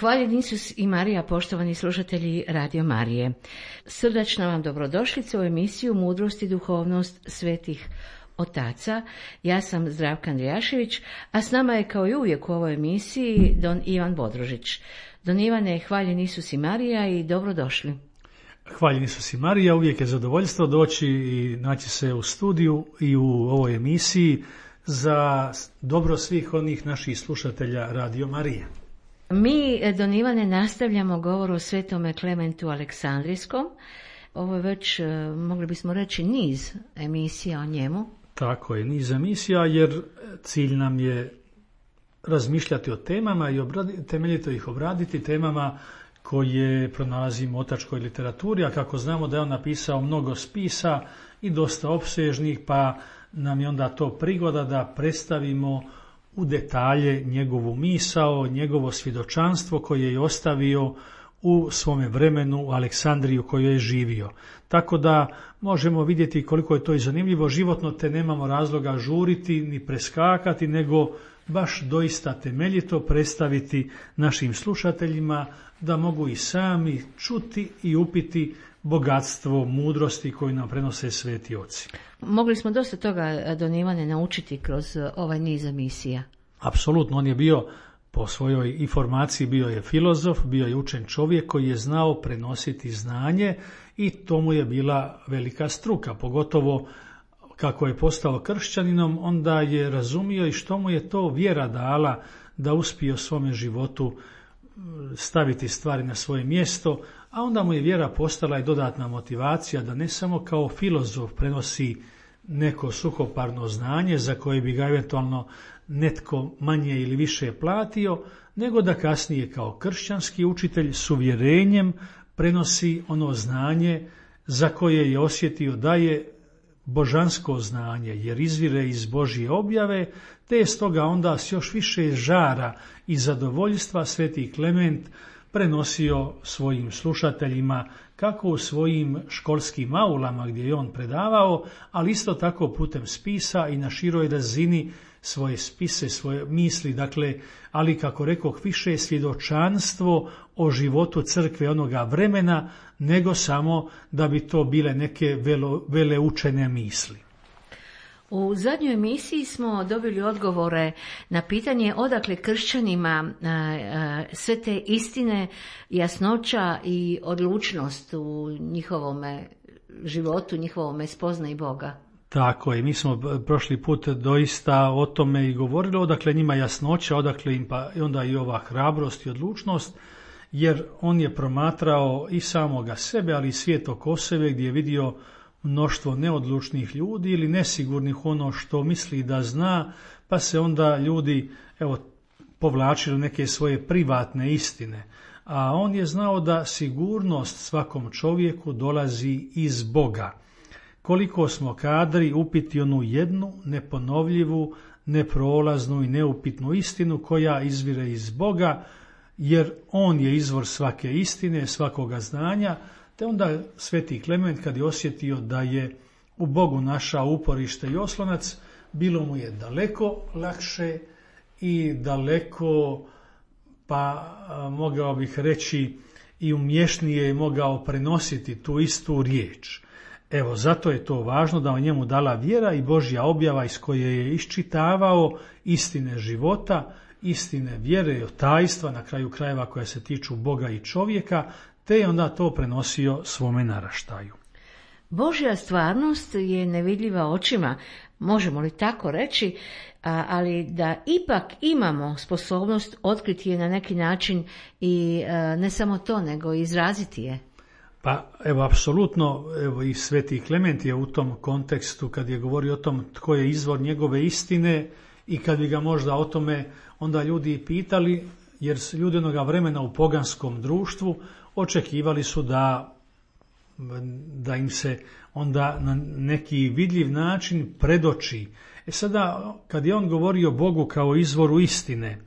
Hvaljen Isus i Marija, poštovani slušatelji Radio Marije. Srdačna vam dobrodošlica u emisiju Mudrost i duhovnost svetih otaca. Ja sam Zdravka Andrijašević, a s nama je kao i uvijek u ovoj emisiji Don Ivan Bodrožić. Don Ivane, hvaljen Isus i Marija i dobrodošli. Hvaljen Isus i Marija, uvijek je zadovoljstvo doći i naći se u studiju i u ovoj emisiji za dobro svih onih naših slušatelja Radio Marije. Mi, Don Ivane, nastavljamo govor o svetome Klementu Aleksandrijskom. Ovo je već, mogli bismo reći, niz emisija o njemu. Tako je, niz emisija, jer cilj nam je razmišljati o temama i temeljito ih obraditi, temama koje pronalazimo u otačkoj literaturi, a kako znamo da je on napisao mnogo spisa i dosta opsežnih, pa nam je onda to prigoda da predstavimo u detalje njegovu misao, njegovo svjedočanstvo koje je ostavio u svome vremenu u Aleksandriji u kojoj je živio. Tako da možemo vidjeti koliko je to i zanimljivo. Životno te nemamo razloga žuriti ni preskakati, nego baš doista temeljito predstaviti našim slušateljima da mogu i sami čuti i upiti bogatstvo mudrosti koju nam prenose sveti oci. Mogli smo dosta toga, Don Ivane, naučiti kroz ovaj niz emisija. Apsolutno, on je bio po svojoj informaciji, bio je filozof, bio je učen čovjek koji je znao prenositi znanje i to mu je bila velika struka, pogotovo kako je postao kršćaninom, onda je razumio i što mu je to vjera dala da uspije u svome životu staviti stvari na svoje mjesto, a onda mu je vjera postala i dodatna motivacija da ne samo kao filozof prenosi neko suhoparno znanje za koje bi ga eventualno netko manje ili više platio, nego da kasnije kao kršćanski učitelj s uvjerenjem prenosi ono znanje za koje je osjetio da je božansko znanje, jer izvire iz Božje objave, te je stoga onda s još više žara i zadovoljstva sveti Klement prenosio svojim slušateljima, kako u svojim školskim aulama gdje je on predavao, ali isto tako putem spisa i na široj razini svoje spise, svoje misli, dakle, ali kako rekoh, više svjedočanstvo o životu crkve onoga vremena, nego samo da bi to bile neke veleučene misli. U zadnjoj emisiji smo dobili odgovore na pitanje odakle kršćanima sve te istine, jasnoća i odlučnost u njihovome životu, njihovome spoznaji Boga. Tako je, mi smo prošli put doista o tome i govorili, odakle njima jasnoća, odakle im pa onda i ova hrabrost i odlučnost, jer on je promatrao i samoga sebe, ali i svijet oko sebe gdje je vidio mnoštvo neodlučnih ljudi ili nesigurnih ono što misli da zna, pa se onda ljudi povlačili neke svoje privatne istine. A on je znao da sigurnost svakom čovjeku dolazi iz Boga. Koliko smo kadri upiti onu jednu neponovljivu, neprolaznu i neupitnu istinu koja izvire iz Boga, jer on je izvor svake istine, svakoga znanja, te onda sveti Klement kad je osjetio da je u Bogu našao uporište i oslonac, bilo mu je daleko lakše i daleko, pa mogao bih reći i umješnije je mogao prenositi tu istu riječ. Evo, zato je to važno da o njemu dala vjera i Božja objava iz koje je iščitavao istine života, istine vjere i tajstva, na kraju krajeva koja se tiču Boga i čovjeka, te je onda to prenosio svome naraštaju. Božja stvarnost je nevidljiva očima, možemo li tako reći, ali da ipak imamo sposobnost otkriti je na neki način i ne samo to, nego i izraziti je. Pa evo, apsolutno, evo i sveti Klement je u tom kontekstu kad je govorio o tom tko je izvor njegove istine i kad bi ga možda o tome onda ljudi pitali, jer ljudi onoga vremena u poganskom društvu očekivali su da im se onda na neki vidljiv način predoči. Sada, kad je on govorio o Bogu kao izvoru istine,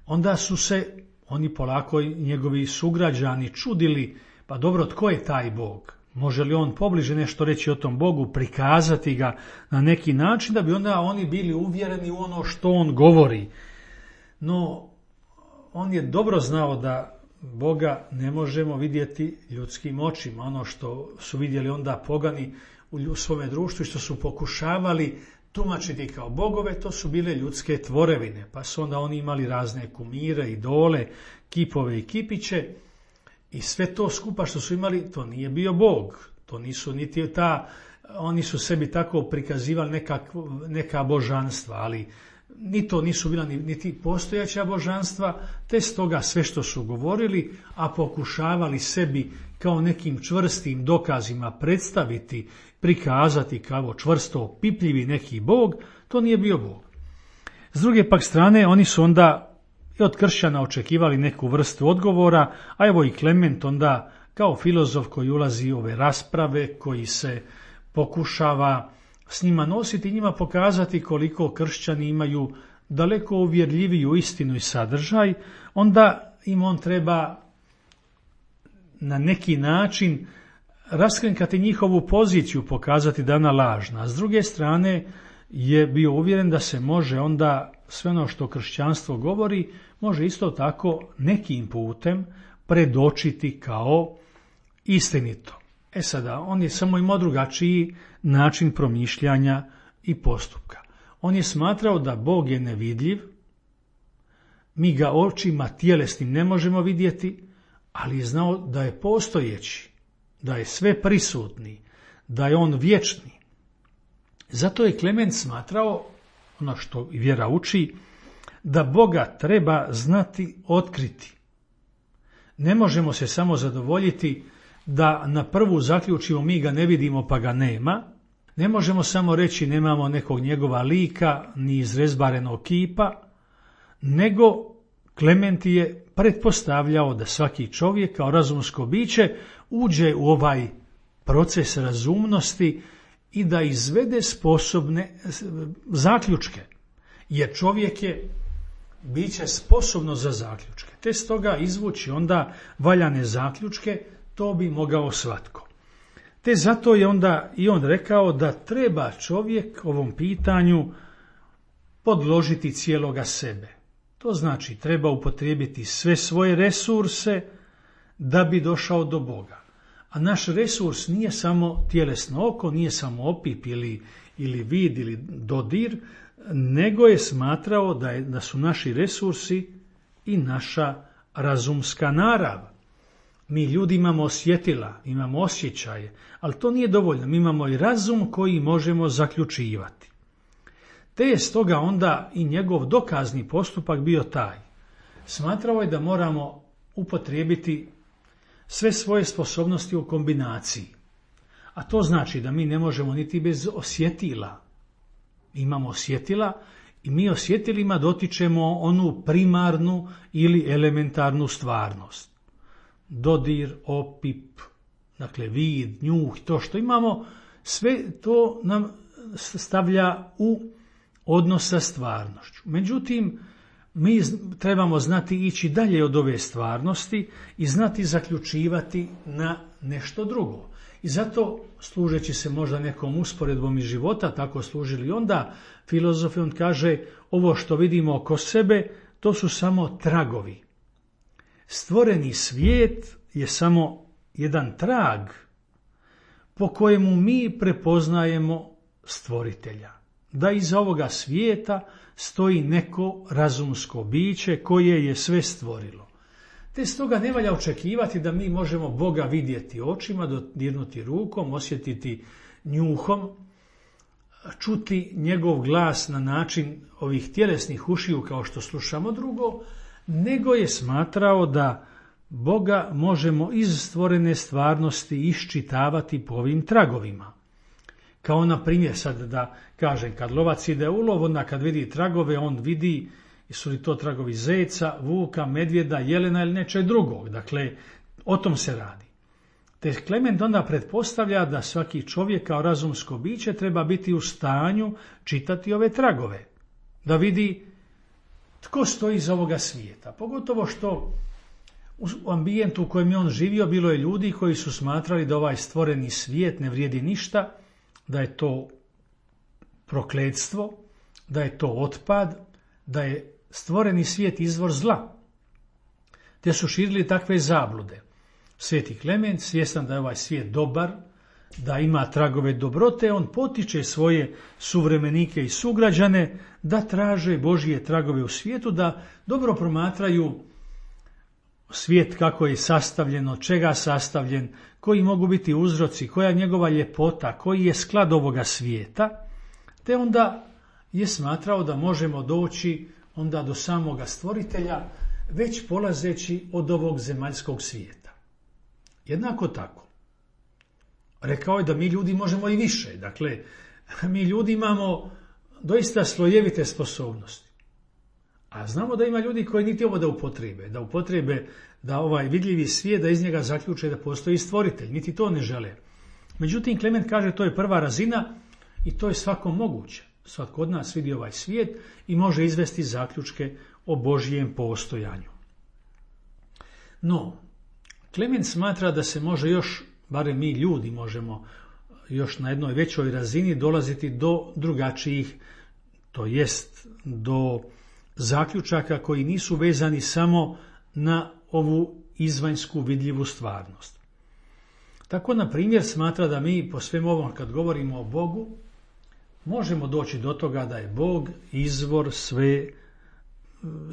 onda su se oni polako njegovi sugrađani čudili, pa dobro, tko je taj Bog? Može li on pobliže nešto reći o tom Bogu, prikazati ga na neki način, da bi onda oni bili uvjereni u ono što on govori? No, on je dobro znao da Boga ne možemo vidjeti ljudskim očima. Ono što su vidjeli onda pogani u svome društvu i što su pokušavali tumačiti kao bogove, to su bile ljudske tvorevine. Pa su onda oni imali razne kumire, idole, kipove i kipiće i sve to skupa što su imali, to nije bio Bog. To nisu niti oni su sebi tako prikazivali neka božanstva, ali ni to nisu bila niti postojeća božanstva, te stoga sve što su govorili, a pokušavali sebi kao nekim čvrstim dokazima predstaviti, prikazati kao čvrsto opipljivi neki Bog, to nije bio Bog. S druge pak strane, oni su onda i od kršćana očekivali neku vrstu odgovora, a evo i Klement onda kao filozof koji ulazi u ove rasprave, koji se pokušava s njima nositi i njima pokazati koliko kršćani imaju daleko uvjerljiviju istinu i sadržaj, onda im on treba na neki način raskrinkati njihovu poziciju, pokazati da je ona lažna. S druge strane je bio uvjeren da se može onda sve ono što kršćanstvo govori, može isto tako nekim putem predočiti kao istinito. Sada, on je samo imao drugačiji način promišljanja i postupka. On je smatrao da Bog je nevidljiv, mi ga očima tjelesnim ne možemo vidjeti, ali je znao da je postojeći, da je sve prisutni, da je on vječni. Zato je Klement smatrao, ono što i vjera uči, da Boga treba znati, otkriti. Ne možemo se samo zadovoljiti da na prvu zaključimo mi ga ne vidimo pa ga nema. Ne možemo samo reći nemamo nekog njegova lika ni izrezbarenog kipa, nego Klement je pretpostavljao da svaki čovjek kao razumsko biće uđe u ovaj proces razumnosti i da izvede sposobne zaključke, jer čovjek je biće sposobno za zaključke. Te stoga izvući onda valjane zaključke, to bi mogao svatko. Te zato je onda i on rekao da treba čovjek ovom pitanju podložiti cijeloga sebe. To znači treba upotrijebiti sve svoje resurse da bi došao do Boga. A naš resurs nije samo tjelesno oko, nije samo opip ili vid ili dodir, nego je smatrao da su naši resursi i naša razumska narav. Mi ljudi imamo osjetila, imamo osjećaje, ali to nije dovoljno. Mi imamo i razum koji možemo zaključivati. Te je stoga onda i njegov dokazni postupak bio taj. Smatrao je da moramo upotrijebiti sve svoje sposobnosti u kombinaciji. A to znači da mi ne možemo niti bez osjetila. Imamo osjetila i mi osjetilima dotičemo onu primarnu ili elementarnu stvarnost. Dodir, opip, dakle vid, njuh, to što imamo, sve to nam stavlja u odnos sa stvarnošću. Međutim, mi trebamo znati ići dalje od ove stvarnosti i znati zaključivati na nešto drugo. I zato, služeći se možda nekom usporedbom iz života, tako služili onda filozofi, on kaže, ovo što vidimo oko sebe, to su samo tragovi. Stvoreni svijet je samo jedan trag po kojemu mi prepoznajemo stvoritelja. Da iza ovoga svijeta stoji neko razumsko biće koje je sve stvorilo. Te stoga ne valja očekivati da mi možemo Boga vidjeti očima, dodirnuti rukom, osjetiti njuhom, čuti njegov glas na način ovih tjelesnih ušiju kao što slušamo drugo, nego je smatrao da Boga možemo iz stvorene stvarnosti iščitavati po ovim tragovima. Kao na primjer, sad da kažem, kad lovac ide u lov, onda kad vidi tragove, on vidi su li to tragovi zeca, vuka, medvjeda, jelena ili nečeg drugog. Dakle, o tom se radi. Te Klement onda pretpostavlja da svaki čovjek kao razumsko biće treba biti u stanju čitati ove tragove, da vidi tko stoji iz ovoga svijeta. Pogotovo što u ambijentu u kojem je on živio bilo je ljudi koji su smatrali da ovaj stvoreni svijet ne vrijedi ništa, da je to prokletstvo, da je to otpad, da je stvoreni svijet izvor zla. te su širili takve zablude. Sveti Klement, svjestan da je ovaj svijet dobar, da ima tragove dobrote, on potiče svoje suvremenike i sugrađane da traže Božije tragove u svijetu, da dobro promatraju svijet kako je sastavljen, od čega sastavljen, koji mogu biti uzroci, koja je njegova ljepota, koji je sklad ovoga svijeta, te onda je smatrao da možemo doći onda do samoga stvoritelja već polazeći od ovog zemaljskog svijeta. Jednako tako, rekao je da mi ljudi možemo i više. Dakle, mi ljudi imamo doista slojevite sposobnosti. A znamo da ima ljudi koji niti ovo da upotrebe da ovaj vidljivi svijet, da iz njega zaključe da postoji stvoritelj, niti to ne žele. Međutim, Klement kaže to je prva razina i to je svakom moguće. Svatko od nas vidi ovaj svijet i može izvesti zaključke o Božijem postojanju. No, Klement smatra da se može još, barem mi ljudi možemo još na jednoj većoj razini dolaziti do drugačijih, to jest do zaključaka koji nisu vezani samo na ovu izvanjsku vidljivu stvarnost. Tako, na primjer, smatra da mi po svem ovom, kad govorimo o Bogu, možemo doći do toga da je Bog izvor sve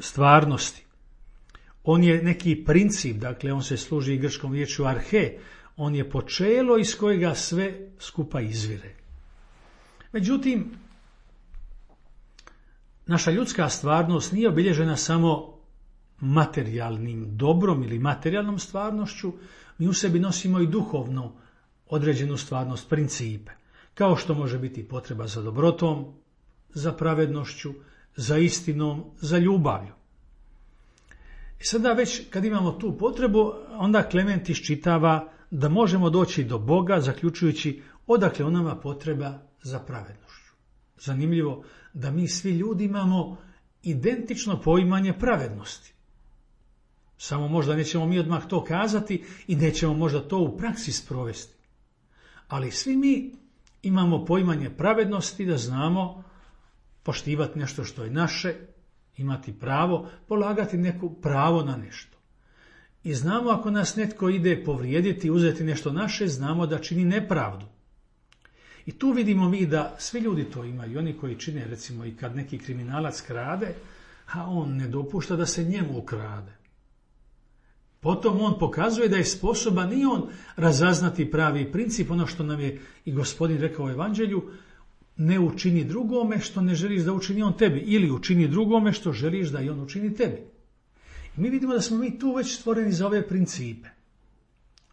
stvarnosti. On je neki princip, dakle on se služi grčkom riječju arhe, on je počelo iz kojega sve skupa izvire. Međutim, naša ljudska stvarnost nije obilježena samo materijalnim dobrom ili materijalnom stvarnošću, mi u sebi nosimo i duhovno određenu stvarnost, principe, kao što može biti potreba za dobrotom, za pravednošću, za istinom, za ljubavlju. I sada već kad imamo tu potrebu, onda Klement iščitava da možemo doći do Boga, zaključujući odakle on nama potreba za pravednošću. Zanimljivo da mi svi ljudi imamo identično poimanje pravednosti. Samo možda nećemo mi odmah to kazati i nećemo možda to u praksi sprovesti. Ali svi mi imamo poimanje pravednosti, da znamo poštivati nešto što je naše, imati pravo, polagati neko pravo na nešto. I znamo ako nas netko ide povrijediti, uzeti nešto naše, znamo da čini nepravdu. I tu vidimo mi da svi ljudi to imaju, oni koji čine, recimo i kad neki kriminalac krade, a on ne dopušta da se njemu ukrade. Potom on pokazuje da je sposoban i on razaznati pravi princip, ono što nam je i Gospodin rekao u Evanđelju, ne učini drugome što ne želiš da učini on tebi, ili učini drugome što želiš da i on učini tebi. I mi vidimo da smo mi tu već stvoreni za ove principe.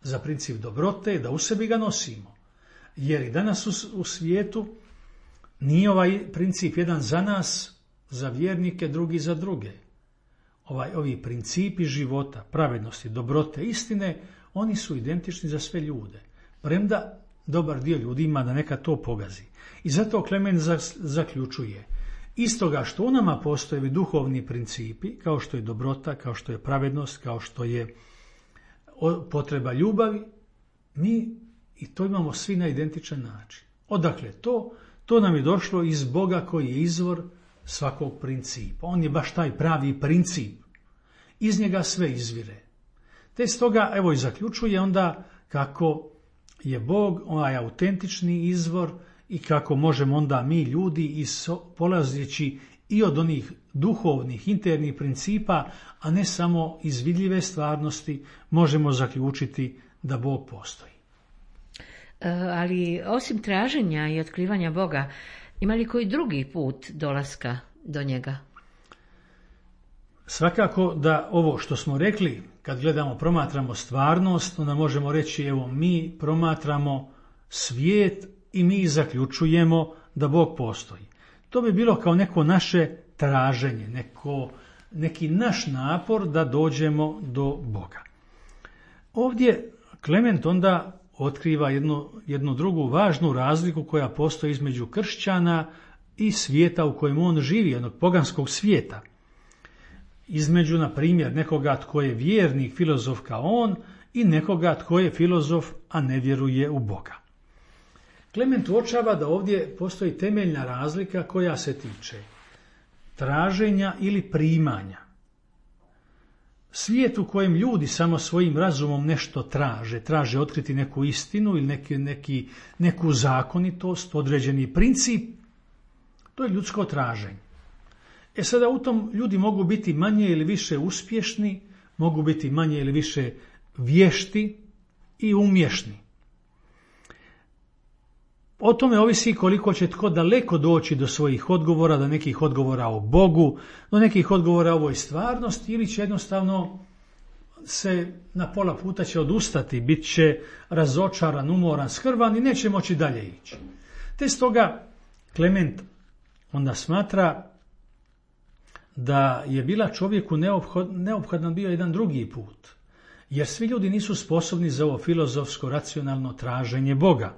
Za princip dobrote, da u sebi ga nosimo. Jer i danas u svijetu nije ovaj princip jedan za nas, za vjernike, drugi za druge. Ovi principi života, pravednosti, dobrote, istine, oni su identični za sve ljude. Premda dobar dio ljudi ima da neka to pogazi. I zato Klement zaključuje, istoga što u nama postoje duhovni principi, kao što je dobrota, kao što je pravednost, kao što je potreba ljubavi, mi i to imamo svi na identičan način. Odakle to? To nam je došlo iz Boga koji je izvor svakog principa. On je baš taj pravi princip. Iz njega sve izvire. Te stoga, evo i zaključuje onda kako je Bog onaj autentični izvor i kako možemo onda mi ljudi polazeći i od onih duhovnih, internih principa, a ne samo iz vidljive stvarnosti, možemo zaključiti da Bog postoji. Ali osim traženja i otkrivanja Boga, ima li koji drugi put dolaska do njega? Svakako da ovo što smo rekli, kad gledamo, promatramo stvarnost, onda možemo reći, evo, mi promatramo svijet i mi zaključujemo da Bog postoji. To bi bilo kao neko naše traženje, neki naš napor da dođemo do Boga. Ovdje Klement onda otkriva jednu drugu važnu razliku koja postoji između kršćana i svijeta u kojem on živi, jednog poganskog svijeta. Između, na primjer, nekoga tko je vjernik, filozof kao on, i nekoga tko je filozof, a ne vjeruje u Boga. Klement uočava da ovdje postoji temeljna razlika koja se tiče traženja ili primanja. svijet u kojem ljudi samo svojim razumom nešto traže otkriti neku istinu ili neku zakonitost, određeni princip, to je ljudsko traženje. Sada u tom ljudi mogu biti manje ili više uspješni, mogu biti manje ili više vješti i umješni. O tome ovisi koliko će tko daleko doći do svojih odgovora, do nekih odgovora o Bogu, do nekih odgovora o ovoj stvarnosti, ili će jednostavno se na pola puta će odustati, bit će razočaran, umoran, skrvan i neće moći dalje ići. Te stoga Klement onda smatra da je bila čovjeku neophodan bio jedan drugi put, jer svi ljudi nisu sposobni za ovo filozofsko, racionalno traženje Boga.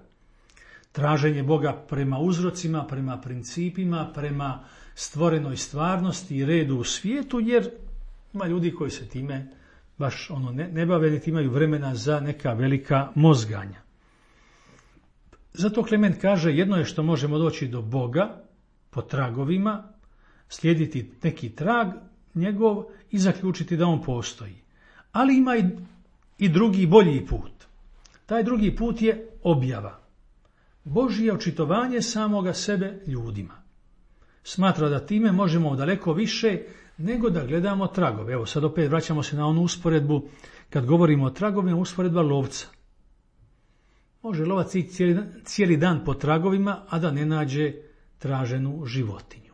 Traženje Boga prema uzrocima, prema principima, prema stvorenoj stvarnosti i redu u svijetu, jer ima ljudi koji se time baš ne bave, niti imaju vremena za neka velika mozganja. Zato Klement kaže, jedno je što možemo doći do Boga po tragovima, slijediti neki trag njegov i zaključiti da on postoji. Ali ima i drugi, bolji put. Taj drugi put je objava. Božje očitovanje samoga sebe ljudima. Smatra da time možemo daleko više nego da gledamo tragove. Evo sad opet vraćamo se na onu usporedbu, kad govorimo o tragovima, usporedba lovca. Može lovac ići cijeli dan po tragovima, a da ne nađe traženu životinju.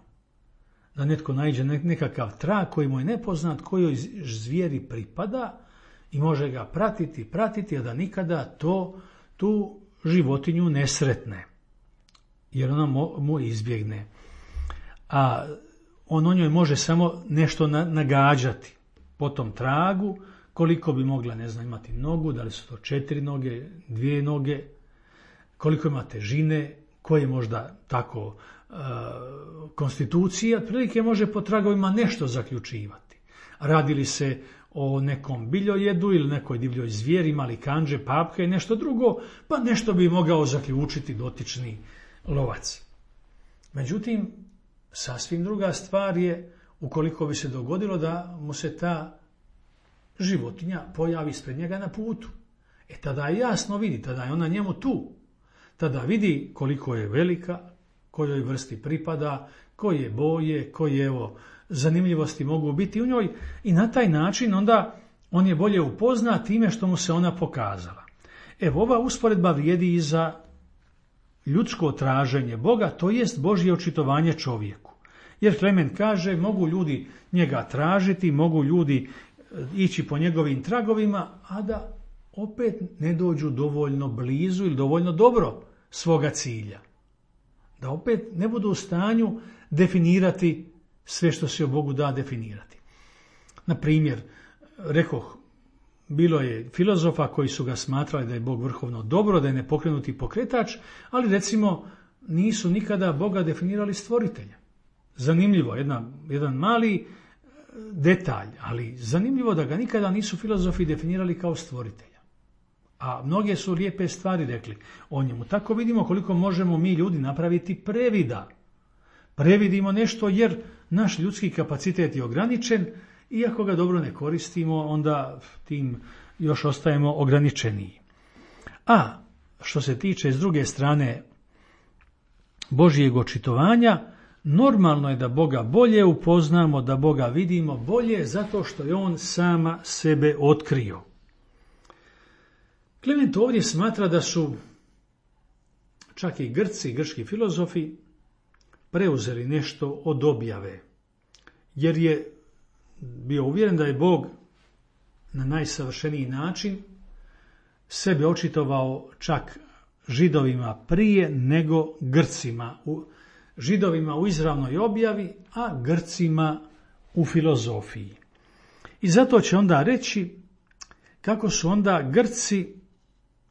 Da netko naiđe nekakav trag koji mu je nepoznat, kojoj zvijeri pripada i može ga pratiti, a da nikada tu životinju ne sretne, jer ona mu izbjegne. A on o njoj može samo nešto nagađati po tom tragu, koliko bi mogla, imati nogu, da li su to 4 noge, 2 noge, koliko ima težine, koje možda tako konstitucija, otprilike može po tragovima nešto zaključivati. Radi li se o nekom biljojedu ili nekoj divljoj zvijeri, ima li kandže, papke i nešto drugo, pa nešto bi mogao zaključiti dotični lovac. Međutim, sasvim druga stvar je ukoliko bi se dogodilo da mu se ta životinja pojavi ispred njega na putu. Tada je jasno vidi, tada je ona njemu tu. Tada vidi koliko je velika, kojoj vrsti pripada, koje boje, koje zanimljivosti mogu biti u njoj i na taj način onda on je bolje upoznat time što mu se ona pokazala. Ova usporedba vrijedi i za ljudsko traženje Boga, to jest Božje očitovanje čovjeku. Jer Klement kaže, mogu ljudi njega tražiti, mogu ljudi ići po njegovim tragovima, a da opet ne dođu dovoljno blizu ili dovoljno dobro svoga cilja. Da opet ne budu u stanju definirati sve što se o Bogu da definirati. Na primjer, rekoh, bilo je filozofa koji su ga smatrali da je Bog vrhovno dobro, da je nepokrenuti pokretač, ali recimo nisu nikada Boga definirali stvoritelja. Zanimljivo, jedan mali detalj, ali zanimljivo da ga nikada nisu filozofi definirali kao stvoritelja. A mnoge su lijepe stvari rekli o njemu. Tako vidimo koliko možemo mi ljudi napraviti previda. Previdimo nešto jer naš ljudski kapacitet je ograničen i ako ga dobro ne koristimo, onda tim još ostajemo ograničeniji. A što se tiče s druge strane Božjeg očitovanja, normalno je da Boga bolje upoznamo, da Boga vidimo bolje zato što je on sama sebe otkrio. Klement ovdje smatra da su čak i Grci, grčki filozofi, preuzeli nešto od objave, jer je bio uvjeren da je Bog na najsavršeniji način sebe očitovao čak Židovima prije nego Grcima. Židovima u izravnoj objavi, a Grcima u filozofiji. I zato će onda reći kako su onda Grci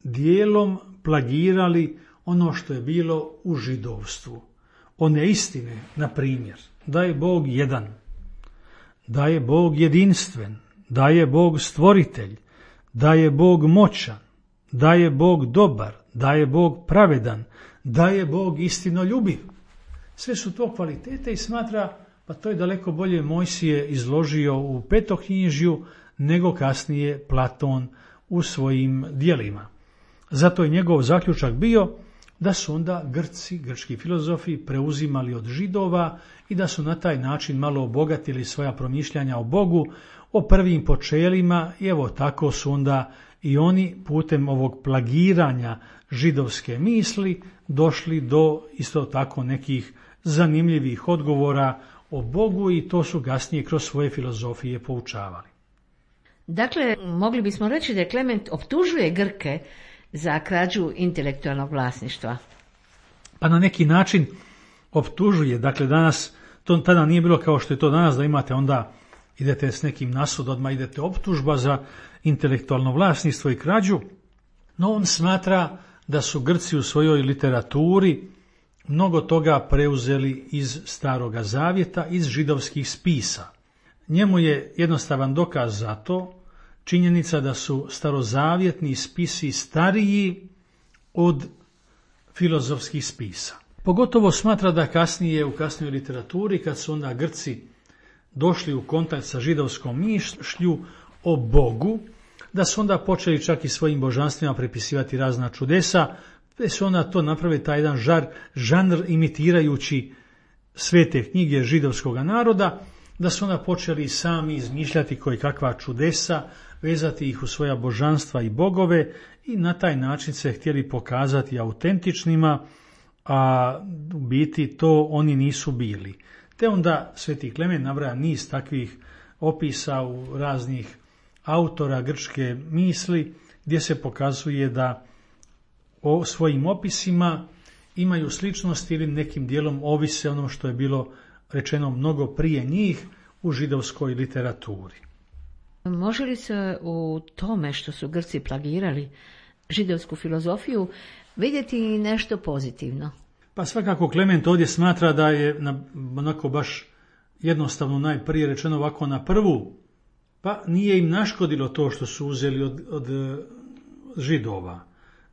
dijelom plagirali ono što je bilo u židovstvu. One istine, na primjer, da je Bog jedan, da je Bog jedinstven, da je Bog stvoritelj, da je Bog moćan, da je Bog dobar, da je Bog pravedan, da je Bog istinoljubiv. Sve su to kvalitete i smatra, pa to je daleko bolje Mojsije izložio u Petoknjižju, nego kasnije Platon u svojim djelima. Zato je njegov zaključak bio da su onda Grci, grčki filozofi preuzimali od Židova i da su na taj način malo obogatili svoja promišljanja o Bogu, o prvim počelima i evo tako su onda i oni putem ovog plagiranja židovske misli došli do isto tako nekih zanimljivih odgovora o Bogu i to su kasnije kroz svoje filozofije poučavali. Dakle, mogli bismo reći da Klement optužuje Grke za krađu intelektualnog vlasništva. Pa na neki način optužuje. Dakle, danas to tada nije bilo kao što je to danas, da imate onda idete s nekim nasud, odmah idete optužba za intelektualno vlasništvo i krađu. No on smatra da su Grci u svojoj literaturi mnogo toga preuzeli iz Staroga Zavjeta, iz židovskih spisa. Njemu je jednostavan dokaz za to činjenica da su starozavjetni spisi stariji od filozofskih spisa. Pogotovo smatra da kasnije u kasnijoj literaturi, kad su onda Grci došli u kontakt sa židovskom mišlju o Bogu, da su onda počeli čak i svojim božanstvima prepisivati razna čudesa, te su onda to napravili taj jedan žanr imitirajući svete knjige židovskog naroda, da su onda počeli sami izmišljati koji kakva čudesa, vezati ih u svoja božanstva i bogove i na taj način se htjeli pokazati autentičnima, a u biti to oni nisu bili. Te onda Sveti Klement nabraja niz takvih opisa u raznih autora grčke misli gdje se pokazuje da o svojim opisima imaju sličnosti ili nekim dijelom ovise ono što je bilo rečeno mnogo prije njih u židovskoj literaturi. Može li se u tome što su Grci plagirali židovsku filozofiju vidjeti nešto pozitivno? Pa svakako Klement ovdje smatra da je onako baš jednostavno najprije rečeno ovako na prvu, pa nije im naškodilo to što su uzeli od Židova.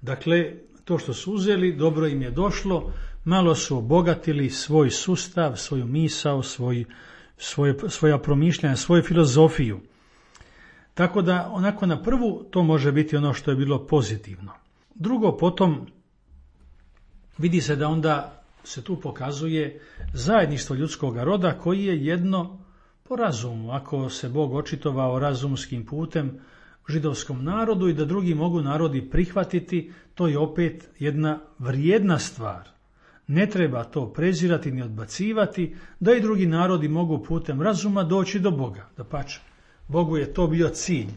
Dakle, to što su uzeli, dobro im je došlo, malo su obogatili svoj sustav, svoju misao, svoja promišljanja, svoju filozofiju. Tako da onako na prvu to može biti ono što je bilo pozitivno. Drugo, potom vidi se da onda se tu pokazuje zajedništvo ljudskog roda koji je jedno po razumu. Ako se Bog očitovao razumskim putem židovskom narodu i da drugi mogu narodi prihvatiti, to je opet jedna vrijedna stvar. Ne treba to prezirati ni odbacivati, da i drugi narodi mogu putem razuma doći do Boga. Dapače, Bogu je to bio cilj.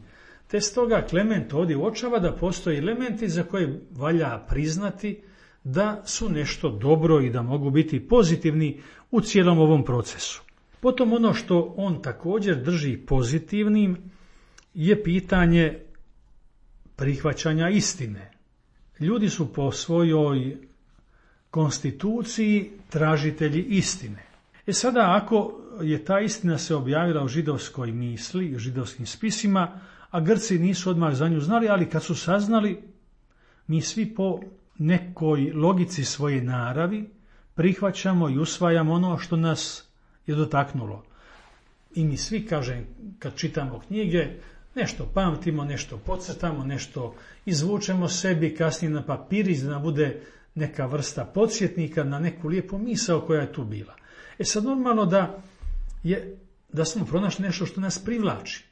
Te stoga Klement ovdje uočava da postoje elementi za koje valja priznati da su nešto dobro i da mogu biti pozitivni u cijelom ovom procesu. Potom ono što on također drži pozitivnim je pitanje prihvaćanja istine. Ljudi su po svojoj konstituciji tražitelji istine. Sada ako je ta istina se objavila u židovskoj misli, u židovskim spisima, a Grci nisu odmah za nju znali, ali kad su saznali, mi svi po nekoj logici svoje naravi prihvaćamo i usvajamo ono što nas je dotaknulo. I mi svi, kažem, kad čitamo knjige, nešto pamtimo, nešto podcrtamo, nešto izvučemo sebi, kasnije na papirić da nam bude neka vrsta podsjetnika na neku lijepu misao koja je tu bila. Sad normalno da smo pronašli nešto što nas privlači.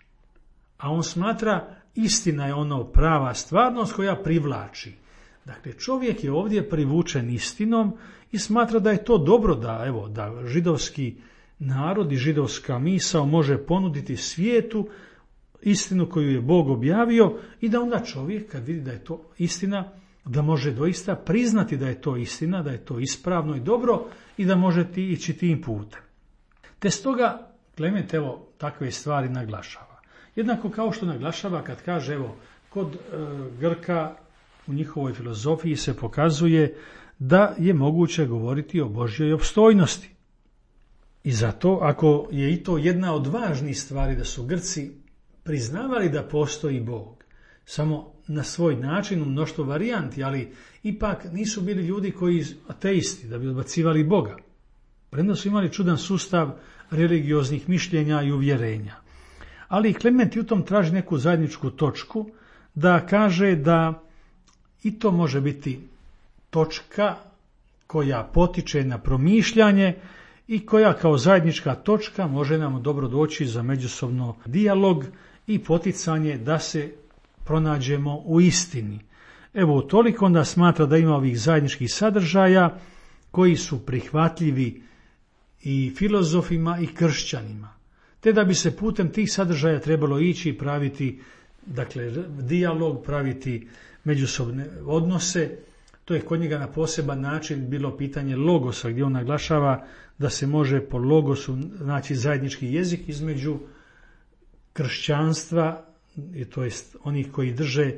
A on smatra istina je ono prava stvarnost koja privlači. Dakle, čovjek je ovdje privučen istinom i smatra da je to dobro da židovski narod i židovska misao može ponuditi svijetu istinu koju je Bog objavio i da onda čovjek kad vidi da je to istina, da može doista priznati da je to istina, da je to ispravno i dobro i da može ići tim putem. Te stoga Klement takve stvari naglašava. Jednako kao što naglašava kad kaže kod Grka u njihovoj filozofiji se pokazuje da je moguće govoriti o Božjoj opstojnosti. I zato ako je i to jedna od važnih stvari da su Grci priznavali da postoji Bog, samo na svoj način u mnoštvo varijanti, ali ipak nisu bili ljudi koji ateisti da bi odbacivali Boga. Premda su imali čudan sustav religioznih mišljenja i uvjerenja. Ali Klement i u tom traži neku zajedničku točku da kaže da i to može biti točka koja potiče na promišljanje i koja kao zajednička točka može nam dobro doći za međusobno dijalog i poticanje da se pronađemo u istini. Evo toliko onda smatra da ima ovih zajedničkih sadržaja koji su prihvatljivi i filozofima i kršćanima, te da bi se putem tih sadržaja trebalo ići i praviti, dakle, dijalog, praviti međusobne odnose. To je kod njega na poseban način bilo pitanje logosa, gdje on naglašava da se može po logosu naći zajednički jezik između kršćanstva, to jest onih koji drže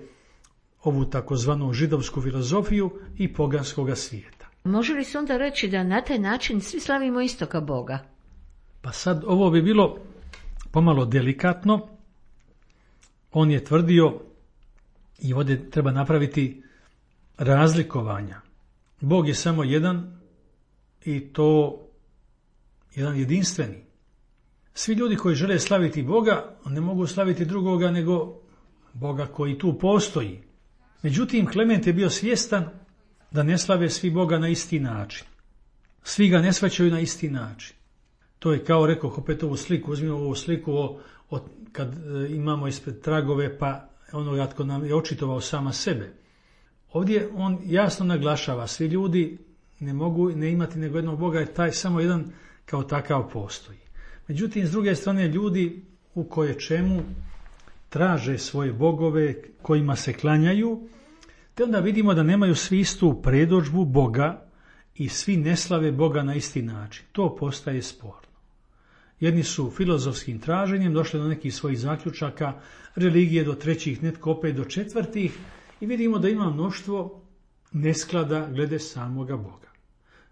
ovu takozvanu židovsku filozofiju i poganskoga svijeta. Može li se onda reći da na taj način svi slavimo istoga Boga? Pa sad ovo bi bilo pomalo delikatno. On je tvrdio, i ovdje treba napraviti razlikovanja. Bog je samo jedan i to jedan jedinstveni. Svi ljudi koji žele slaviti Boga ne mogu slaviti drugoga nego Boga koji tu postoji. Međutim, Klement je bio svjestan da ne slave svi Boga na isti način. Svi ga ne shvaćaju na isti način. To je kao rekao opet ovu sliku, uzmimo ovu sliku kad imamo ispred tragove pa onoga tko nam je očitovao sama sebe. Ovdje on jasno naglašava, svi ljudi ne mogu ne imati nego jednog Boga, jer taj samo jedan kao takav postoji. Međutim, s druge strane, ljudi u koje čemu traže svoje bogove, kojima se klanjaju, te onda vidimo da nemaju svi istu predodžbu Boga i svi ne slave Boga na isti način. To postaje sporno. Jedni su filozofskim traženjem došli do nekih svojih zaključaka, religije do trećih, netko opet do četvrtih, i vidimo da ima mnoštvo nesklada glede samoga Boga.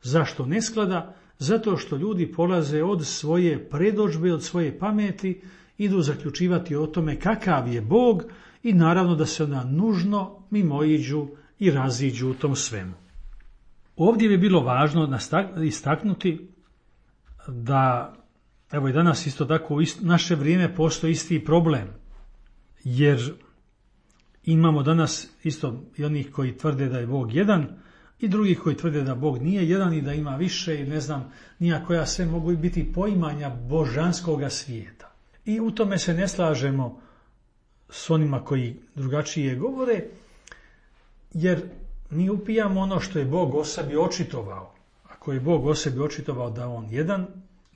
Zašto nesklada? Zato što ljudi polaze od svoje predodžbe, od svoje pameti, idu zaključivati o tome kakav je Bog i naravno da se ona nužno mimoiđu i raziđu u tom svemu. Ovdje bi bilo važno istaknuti da, evo i danas isto tako u naše vrijeme postoji isti problem, jer imamo danas isto i onih koji tvrde da je Bog jedan i drugih koji tvrde da Bog nije jedan i da ima više i ne znam nija koja sve mogu biti poimanja božanskoga svijeta. I u tome se ne slažemo s onima koji drugačije govore, jer mi upijamo ono što je Bog o sebi očitovao. Ako je Bog o sebi očitovao da je on jedan,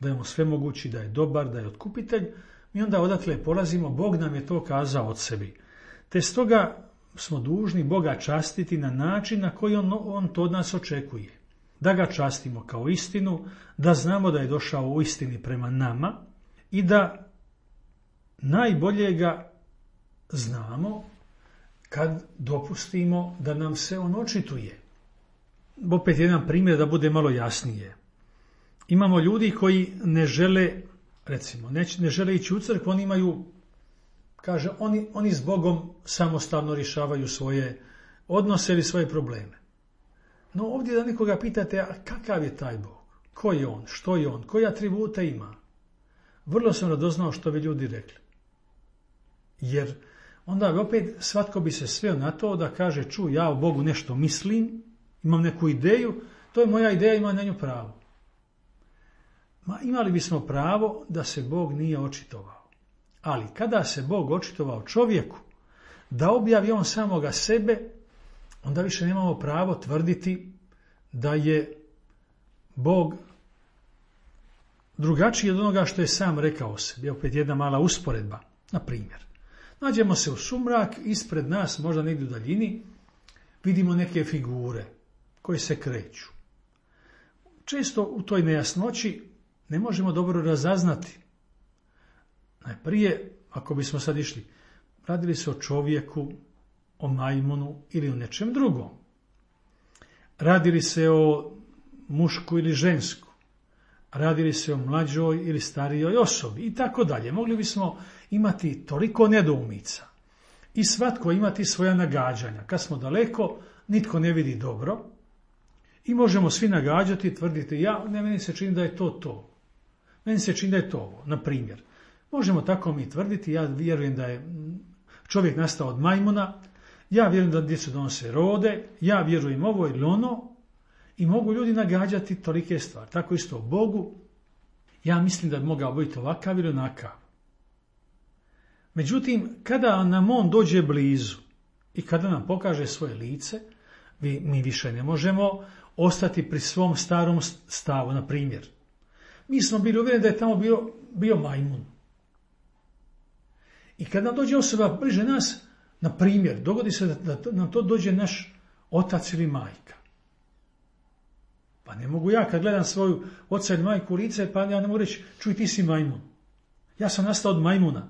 da je on svemogući, da je dobar, da je otkupitelj, mi onda odatle polazimo, Bog nam je to kazao od sebi. Te stoga smo dužni Boga častiti na način na koji on to od nas očekuje. Da ga častimo kao istinu, da znamo da je došao u istini prema nama i da najbolje ga znamo kad dopustimo da nam se on očituje. Opet jedan primjer da bude malo jasnije. Imamo ljudi koji ne žele, recimo, ne žele ići u crkvu, oni imaju, kaže, oni s Bogom samostalno rješavaju svoje odnose ili svoje probleme. No ovdje da nekoga pitate, a kakav je taj Bog? Ko je on? Što je on? Koje atribute ima? Vrlo sam radoznao što bi ljudi rekli. Jer onda opet svatko bi se sveo na to da kaže, ja o Bogu nešto mislim, imam neku ideju, to je moja ideja, imam na nju pravo. Imali bismo pravo da se Bog nije očitovao. Ali kada se Bog očitovao čovjeku, da objavi on samoga sebe, onda više nemamo pravo tvrditi da je Bog drugačiji od onoga što je sam rekao sebi. Opet jedna mala usporedba, na primjer. Nađemo se u sumrak, ispred nas, možda negdje u daljini, vidimo neke figure koje se kreću. Često u toj nejasnoći ne možemo dobro razaznati. Najprije, ako bismo sad išli, radili se o čovjeku, o majmunu ili o nečem drugom. Radili se o mušku ili žensku. Radili se o mlađoj ili starijoj osobi i tako dalje. Mogli bismo imati toliko nedoumica i svatko imati svoja nagađanja. Kad smo daleko, nitko ne vidi dobro i možemo svi nagađati i tvrditi, meni se čini da je to. Meni se čini da je to ovo. Na primjer, Možemo tako mi tvrditi, ja vjerujem da je čovjek nastao od majmuna, ja vjerujem da djecu donose rode, ja vjerujem ovo ili ono i mogu ljudi nagađati tolike stvari. Tako isto o Bogu, ja mislim da bi mogao biti ovakav ili onakav. Međutim, kada nam on dođe blizu i kada nam pokaže svoje lice, mi više ne možemo ostati pri svom starom stavu. Na primjer, mi smo bili uvjereni da je tamo bio majmun. I kada nam dođe osoba bliže nas, na primjer, dogodi se da nam to dođe naš otac ili majka. Pa ne mogu ja kad gledam svoju oca ili majku u lice, pa ja ne mogu reći, čuj, ti si majmun. Ja sam nastao od majmuna.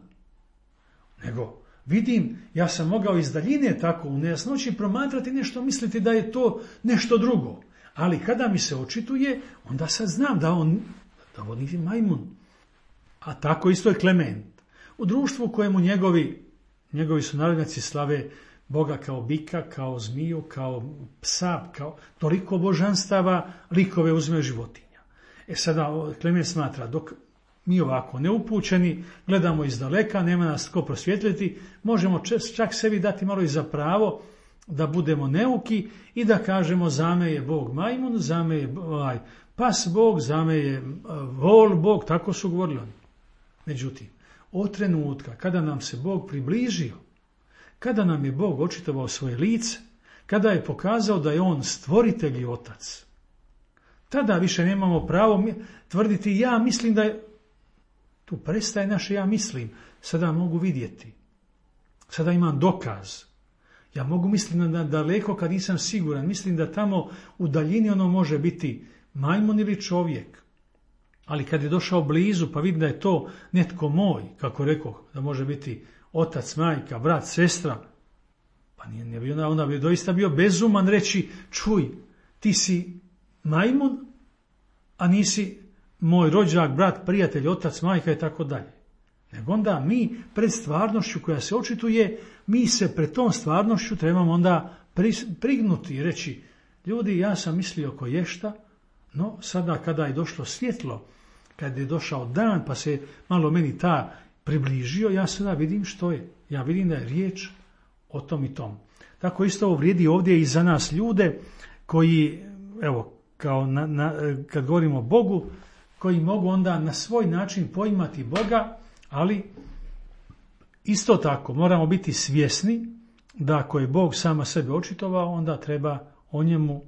Nego vidim, ja sam mogao iz daljine tako u nejasnoći promatrati nešto, misliti da je to nešto drugo. Ali kada mi se očituje, onda sad znam da on nije majmun. A tako isto je Klement. U društvu u kojemu njegovi sunarodnjaci slave Boga kao bika, kao zmiju, kao psa, kao toliko božanstava, likove uzimaju životinja. Sada Klement smatra, dok mi ovako neupućeni, gledamo iz daleka, nema nas tko prosvjetljati, možemo čak sebi dati malo i za pravo da budemo neuki i da kažemo zame je Bog majmun, zame je pas Bog, zame je vol Bog, tako su govorili oni. Međutim, od trenutka kada nam se Bog približio, kada nam je Bog očitovao svoje lice, kada je pokazao da je on stvoritelj i otac, tada više nemamo pravo tvrditi ja mislim da je. Tu prestaje naše ja mislim, sada mogu vidjeti, sada imam dokaz. Ja mogu misliti na daleko kad nisam siguran, mislim da tamo u daljini ono može biti majmun ili čovjek. Ali kad je došao blizu pa vidim da je to netko moj, kako rekoh, da može biti otac, majka, brat, sestra, pa nije bio, onda bi doista bio bezuman reći, čuj, ti si majmun, a nisi moj rođak, brat, prijatelj, otac, majka i tako dalje. Nego onda mi pred stvarnošću koja se očituje, mi se pred tom stvarnošću trebamo onda prignuti i reći, ljudi, ja sam mislio koješta, no sada kada je došlo svjetlo, kada je došao dan pa se malo meni ta približio, ja sada vidim što je. Ja vidim da je riječ o tom i tom. Tako isto ovo vrijedi ovdje i za nas ljude koji, evo, kao kad govorimo o Bogu, koji mogu onda na svoj način poimati Boga, ali isto tako moramo biti svjesni da ako je Bog sama sebe očitovao, onda treba o njemu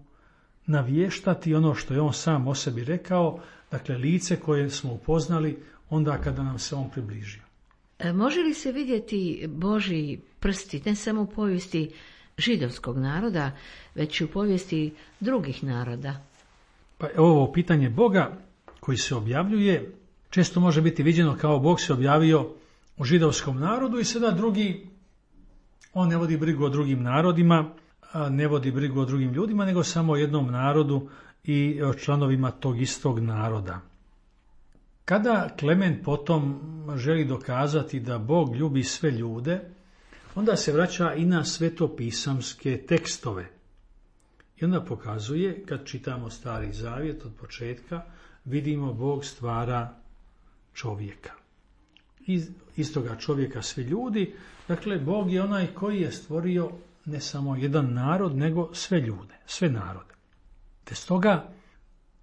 navještati ono što je on sam o sebi rekao, dakle lice koje smo upoznali onda kada nam se on približio. Može li se vidjeti Božji prsti ne samo u povijesti židovskog naroda, već i u povijesti drugih naroda? Pa ovo pitanje Boga koji se objavljuje često može biti viđeno kao Bog se objavio u židovskom narodu i sada on ne vodi brigu o drugim narodima, ne vodi brigu o drugim ljudima, nego samo o jednom narodu i o članovima tog istog naroda. Kada Klement potom želi dokazati da Bog ljubi sve ljude, onda se vraća i na svetopisamske tekstove. I onda pokazuje, kad čitamo Stari Zavjet od početka, vidimo Bog stvara čovjeka. Iz toga čovjeka svi ljudi, dakle Bog je onaj koji je stvorio ne samo jedan narod, nego sve ljude, sve narode. Te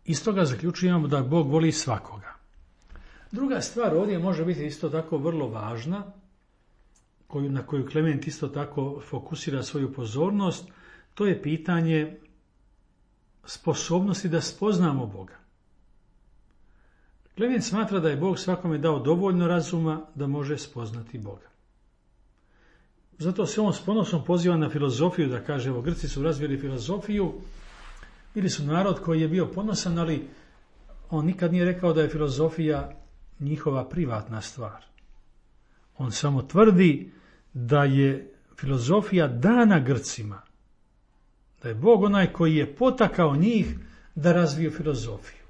iz toga zaključujemo da Bog voli svakoga. Druga stvar ovdje može biti isto tako vrlo važna, na koju Klement isto tako fokusira svoju pozornost, to je pitanje sposobnosti da spoznamo Boga. Klement smatra da je Bog svakome dao dovoljno razuma da može spoznati Boga. Zato se on s ponosom poziva na filozofiju, da kaže, evo, Grci su razvili filozofiju, bili su narod koji je bio ponosan, ali on nikad nije rekao da je filozofija njihova privatna stvar. On samo tvrdi da je filozofija dana Grcima, da je Bog onaj koji je potakao njih da razviju filozofiju.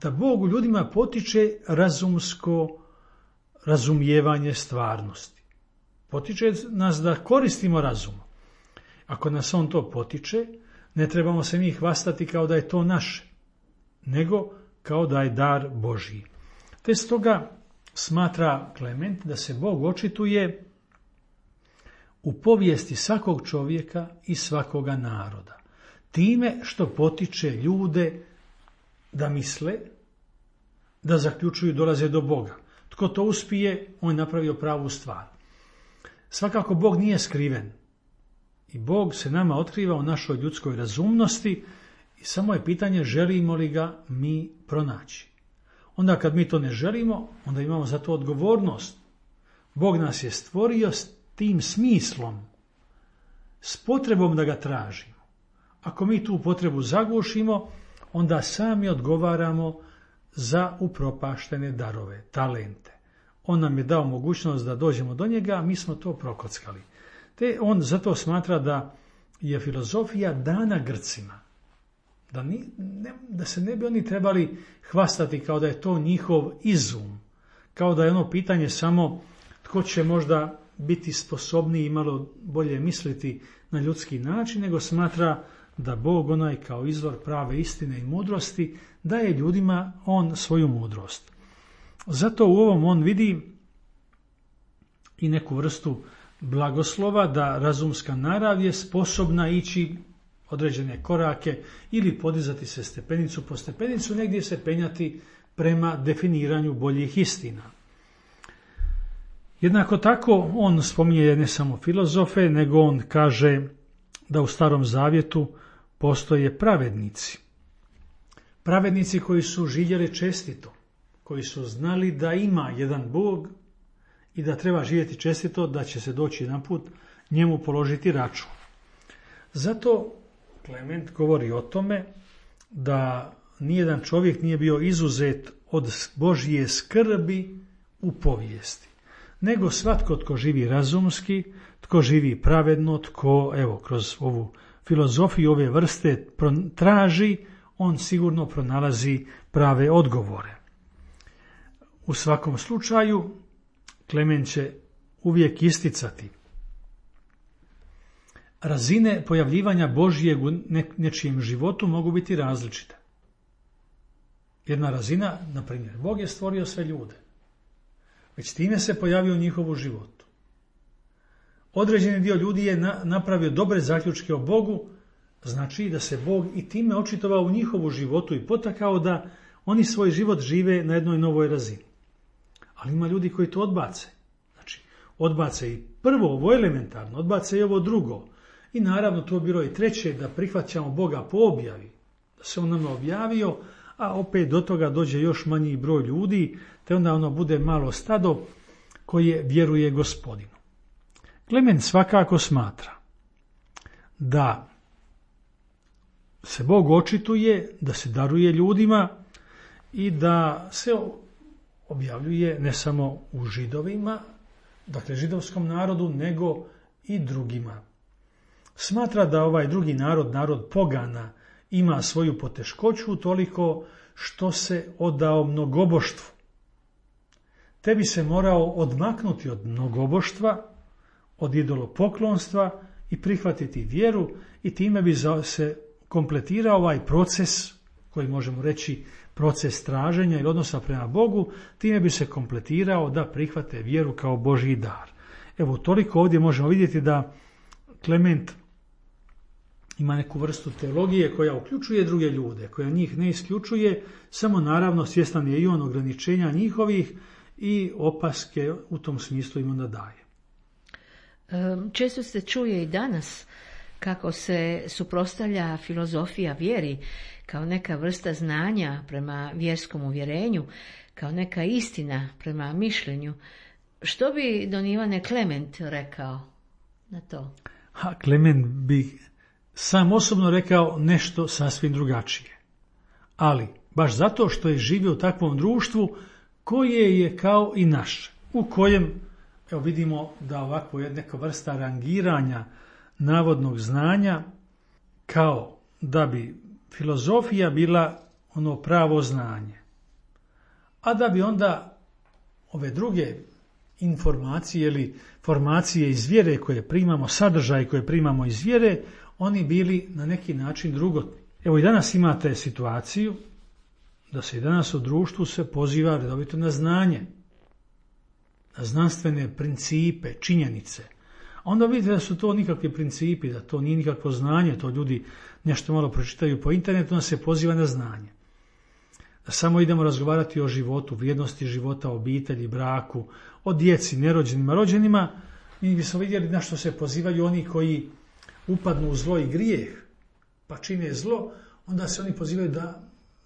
Da Bog u ljudima potiče razumsko razumijevanje stvarnosti. Potiče nas da koristimo razum. Ako nas on to potiče, ne trebamo se mi hvastati kao da je to naše, nego kao da je dar Božji. Te stoga smatra Klement da se Bog očituje u povijesti svakog čovjeka i svakoga naroda, time što potiče ljude da misle, da zaključuju, dolaze do Boga. Tko to uspije, on je napravio pravu stvar. Svakako Bog nije skriven i Bog se nama otkriva u našoj ljudskoj razumnosti i samo je pitanje želimo li ga mi pronaći. Onda kad mi to ne želimo, onda imamo za to odgovornost. Bog nas je stvorio s tim smislom, s potrebom da ga tražimo. Ako mi tu potrebu zagušimo, onda sami odgovaramo za upropaštene darove, talente. On nam je dao mogućnost da dođemo do njega, a mi smo to prokockali. Te on zato smatra da je filozofija dana Grcima. Da se ne bi oni trebali hvastati kao da je to njihov izum, kao da je ono pitanje samo tko će možda biti sposobniji i malo bolje misliti na ljudski način, nego smatra da Bog, onaj kao izvor prave istine i mudrosti, daje ljudima on svoju mudrost. Zato u ovom on vidi i neku vrstu blagoslova da razumska narav je sposobna ići određene korake ili podizati se stepenicu po stepenicu, negdje se penjati prema definiranju boljih istina. Jednako tako on spominje ne samo filozofe, nego on kaže da u Starom Zavjetu postoje pravednici. Pravednici koji su živjeli čestito, koji su znali da ima jedan Bog i da treba živjeti čestito, da će se doći jedanput njemu položiti račun. Zato Klement govori o tome da nijedan čovjek nije bio izuzet od Božje skrbi u povijesti, nego svatko tko živi razumski, tko živi pravedno, tko kroz ovu filozofiju ove vrste traži, on sigurno pronalazi prave odgovore. U svakom slučaju, Klement će uvijek isticati razine pojavljivanja Božjeg u nečijem životu mogu biti različite. Jedna razina, na primjer, Bog je stvorio sve ljude. Već time se pojavio u njihovu životu. Određeni dio ljudi je napravio dobre zaključke o Bogu, znači da se Bog i time očitovao u njihovu životu i potakao da oni svoj život žive na jednoj novoj razini. Ali ima ljudi koji to odbace. Znači, odbace i prvo ovo elementarno, odbace i ovo drugo. I naravno to je bilo i treće, da prihvaćamo Boga po objavi, da se on nama objavio, a opet do toga dođe još manji broj ljudi, te onda ono bude malo stado koje vjeruje Gospodinu. Klement svakako smatra da se Bog očituje, da se daruje ljudima i da se objavljuje ne samo u Židovima, dakle židovskom narodu, nego i drugima. Smatra da ovaj drugi narod, narod pogana, ima svoju poteškoću toliko što se odao mnogoboštvu. Te bi se morao odmaknuti od mnogoboštva, od idolopoklonstva i prihvatiti vjeru i time bi se kompletirao ovaj proces, koji možemo reći proces traženja ili odnosa prema Bogu, time bi se kompletirao da prihvate vjeru kao Božji dar. Evo, toliko ovdje možemo vidjeti da Klement ima neku vrstu teologije koja uključuje druge ljude, koja njih ne isključuje, samo naravno svjestan je i on ograničenja njihovih i opaske u tom smislu im onda daje. Često se čuje i danas kako se suprotstavlja filozofija vjeri kao neka vrsta znanja prema vjerskom uvjerenju, kao neka istina prema mišljenju. Što bi don Ivane Klement rekao na to? Klement bi sam osobno rekao nešto sasvim drugačije. Ali, baš zato što je živio u takvom društvu koje je kao i naše, u kojem vidimo da ovako je neka vrsta rangiranja navodnog znanja, kao da bi filozofija bila ono pravo znanje, a da bi onda ove druge informacije ili formacije iz vjere koje primamo, sadržaj koje primamo iz vjere, oni bili na neki način drugotni. Evo i danas imate situaciju da se i danas u društvu se poziva redovito na znanje. znanstvene principe, činjenice, onda vidite da su to nikakvi principi, da to nije nikakvo znanje, to ljudi nešto malo pročitaju po internetu, onda se poziva na znanje. Da samo idemo razgovarati o životu, vrijednosti života, obitelji, braku, o djeci, nerođenima, rođenima, mi bismo vidjeli na što se pozivaju oni koji upadnu u zlo i grijeh, pa čine zlo, onda se oni pozivaju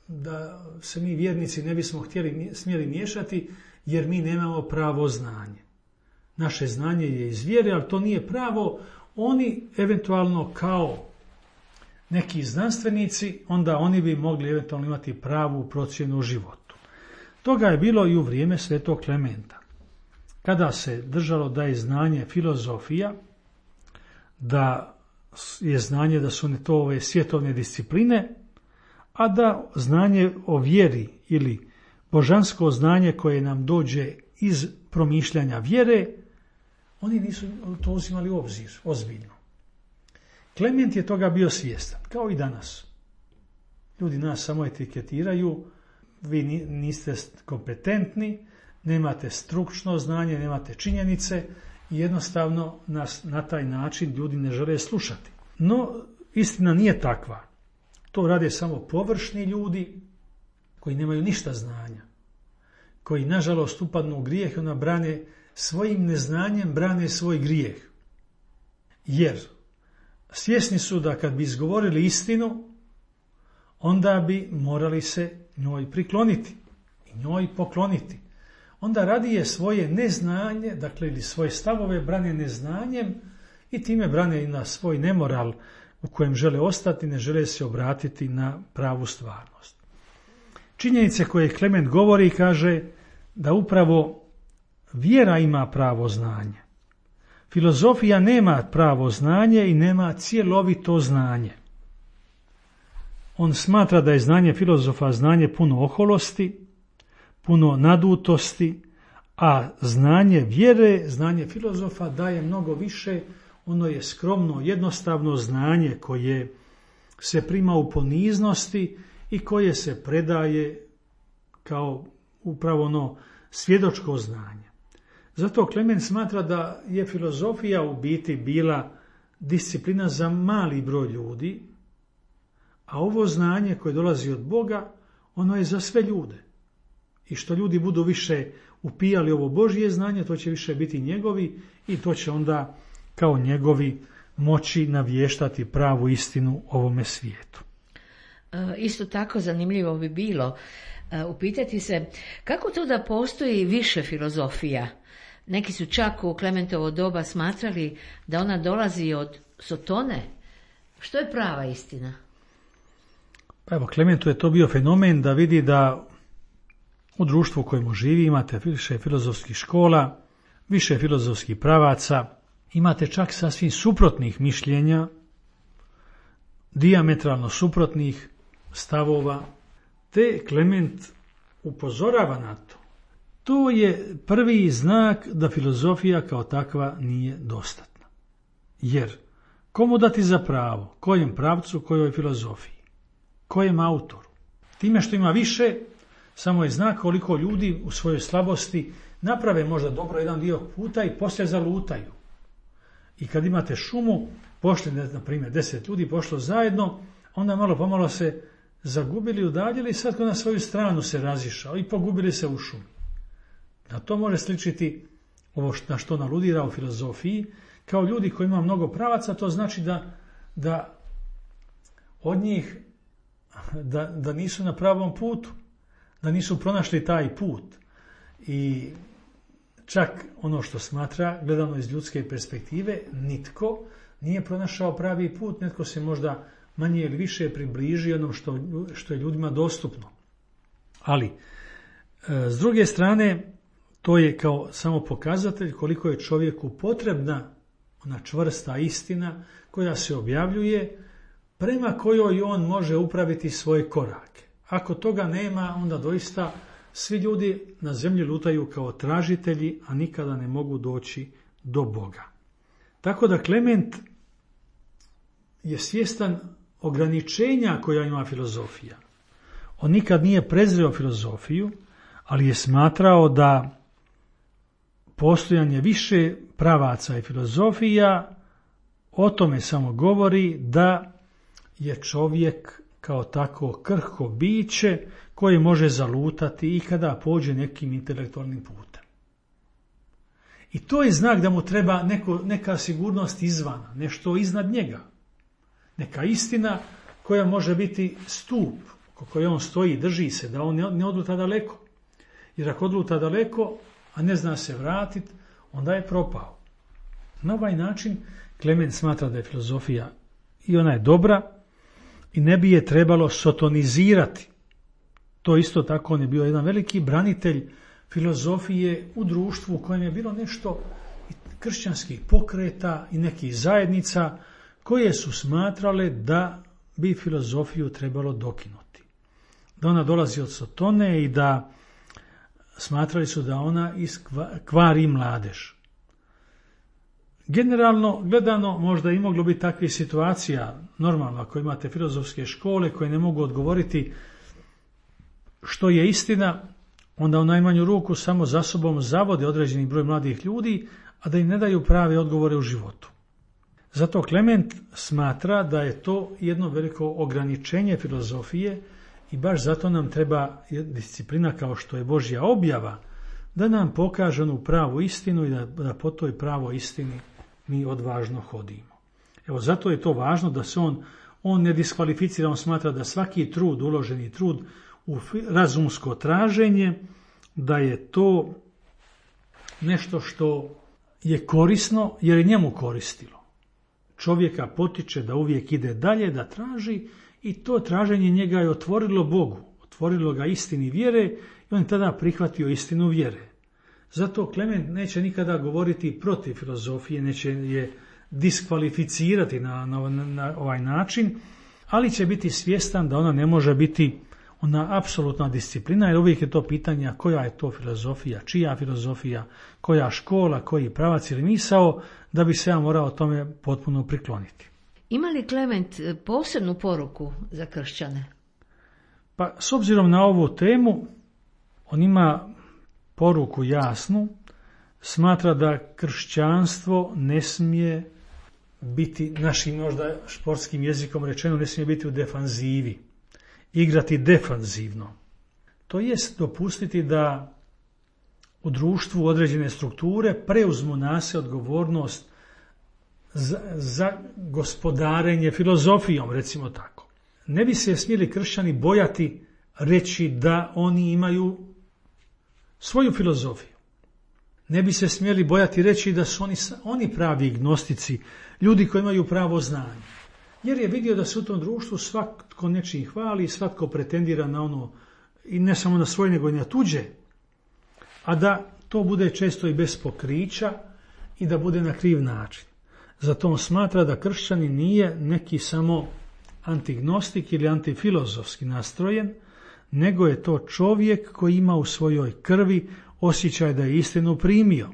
da se mi vjernici ne bismo smjeli miješati, jer mi nemamo pravo znanje. Naše znanje je iz vjere, ali to nije pravo. Oni eventualno kao neki znanstvenici, onda oni bi mogli eventualno imati pravu procjenu u životu. Toga je bilo i u vrijeme svetog Klementa. Kada se držalo da je znanje filozofija, da je znanje da su to ove svjetovne discipline, a da znanje o vjeri ili božansko znanje koje nam dođe iz promišljanja vjere, oni nisu to uzimali u obzir, ozbiljno. Klement je toga bio svjestan, kao i danas. Ljudi nas samo etiketiraju, vi niste kompetentni, nemate stručno znanje, nemate činjenice i jednostavno nas na taj način ljudi ne žele slušati. No, istina nije takva. To rade samo površni ljudi koji nemaju ništa znanja, koji nažalost upadnu u grijeh i ona brane svojim neznanjem, brane svoj grijeh. Jer svjesni su da kad bi izgovorili istinu, onda bi morali se njoj prikloniti i njoj pokloniti. Onda radije svoje neznanje, dakle ili svoje stavove brane neznanjem i time brane i na svoj nemoral u kojem žele ostati, ne žele se obratiti na pravu stvarnost. Činjenice koje Klement govori kaže da upravo vjera ima pravo znanje. Filozofija nema pravo znanje i nema cjelovito znanje. On smatra da je znanje filozofa znanje puno oholosti, puno nadutosti, a znanje vjere, znanje filozofa daje mnogo više. Ono je skromno, jednostavno znanje koje se prima u poniznosti i koje se predaje kao upravo ono svjedočko znanje. Zato Klement smatra da je filozofija u biti bila disciplina za mali broj ljudi, a ovo znanje koje dolazi od Boga, ono je za sve ljude. I što ljudi budu više upijali ovo Božje znanje, to će više biti njegovi i to će onda kao njegovi moći navještati pravu istinu ovome svijetu. Isto tako zanimljivo bi bilo upitati se kako to da postoji više filozofija. Neki su čak u Klementovo doba smatrali da ona dolazi od Sotone. Što je prava istina? Pa evo, Klementu je to bio fenomen da vidi da u društvu u kojemu živi imate više filozofskih škola, više filozofskih pravaca, imate čak sasvim suprotnih mišljenja, dijametralno suprotnih stavova, te Klement upozorava na to. To je prvi znak da filozofija kao takva nije dostatna. Jer komu dati za pravo? Kojem pravcu, kojoj filozofiji? Kojem autoru? Time što ima više, samo je znak koliko ljudi u svojoj slabosti naprave možda dobro jedan dio puta i poslije zalutaju. I kad imate šumu, pošli, na primjer, 10 ljudi pošlo zajedno, onda malo pomalo se zagubili, udaljili i sad na svoju stranu se razišao i pogubili se u šumi. A to može sličiti ovo na što naludira u filozofiji, kao ljudi koji ima mnogo pravaca, to znači da od njih da nisu na pravom putu, da nisu pronašli taj put. I čak ono što smatra, gledano iz ljudske perspektive, nitko nije pronašao pravi put, netko se možda manje ili više približi onom što je ljudima dostupno. Ali, s druge strane, to je kao samo pokazatelj koliko je čovjeku potrebna ona čvrsta istina koja se objavljuje, prema kojoj on može upraviti svoje korake. Ako toga nema, onda doista svi ljudi na zemlji lutaju kao tražitelji, a nikada ne mogu doći do Boga. Tako da Klement je svjestan ograničenja koja ima filozofija. On nikad nije prezreo filozofiju, ali je smatrao da postojanje više pravaca i filozofija, o tome samo govori da je čovjek kao tako krhko biće koje može zalutati i kada pođe nekim intelektualnim putem. I to je znak da mu treba neka sigurnost izvana, nešto iznad njega. Neka istina koja može biti stup oko koje on stoji, drži se, da on ne odluta daleko. Jer ako odluta daleko, a ne zna se vratiti, onda je propao. Na ovaj način Klement smatra da je filozofija i ona je dobra i ne bi je trebalo sotonizirati. To isto tako on je bio jedan veliki branitelj filozofije u društvu u kojem je bilo nešto kršćanskih pokreta i nekih zajednica koje su smatrale da bi filozofiju trebalo dokinuti. Da ona dolazi od sotone i da smatrali su da ona kvari mladež. Generalno gledano možda i moglo biti takvih situacija, normalno ako imate filozofske škole koje ne mogu odgovoriti što je istina, onda u najmanju ruku samo za sobom zavode određeni broj mladih ljudi, a da im ne daju prave odgovore u životu. Zato Klement smatra da je to jedno veliko ograničenje filozofije i baš zato nam treba disciplina kao što je Božja objava, da nam pokaže onu pravu istinu i da po toj pravoj istini mi odvažno hodimo. Evo, zato je to važno da se on ne diskvalificira, on smatra da svaki trud, uloženi trud u razumsko traženje, da je to nešto što je korisno jer je njemu koristilo. Čovjeka potiče da uvijek ide dalje, da traži i to traženje njega je otvorilo Bogu, otvorilo ga istini vjere i on je tada prihvatio istinu vjere. Zato Klement neće nikada govoriti protiv filozofije, neće je diskvalificirati na ovaj način, ali će biti svjestan da ona ne može biti ona apsolutna disciplina, jer uvijek je to pitanje koja je to filozofija, čija filozofija, koja škola, koji pravac ili misao, da bi se ja morao tome potpuno prikloniti. Ima li Klement posebnu poruku za kršćane? Pa s obzirom na ovu temu, on ima poruku jasnu, smatra da kršćanstvo ne smije biti, našim možda športskim jezikom rečeno, ne smije biti u defanzivi, igrati defanzivno. To jest dopustiti da u društvu određene strukture preuzmu na se odgovornost za gospodarenje filozofijom, recimo tako. Ne bi se smjeli kršćani bojati reći da oni imaju svoju filozofiju. Ne bi se smjeli bojati reći da su oni pravi gnostici, ljudi koji imaju pravo znanje. Jer je vidio da se u tom društvu svatko nečiji hvali, svatko pretendira na ono, i ne samo na svoje, nego i na tuđe, a da to bude često i bez pokrića i da bude na kriv način. Zato on smatra da kršćanin nije neki samo antignostik ili antifilozofski nastrojen, nego je to čovjek koji ima u svojoj krvi osjećaj da je istinu primio.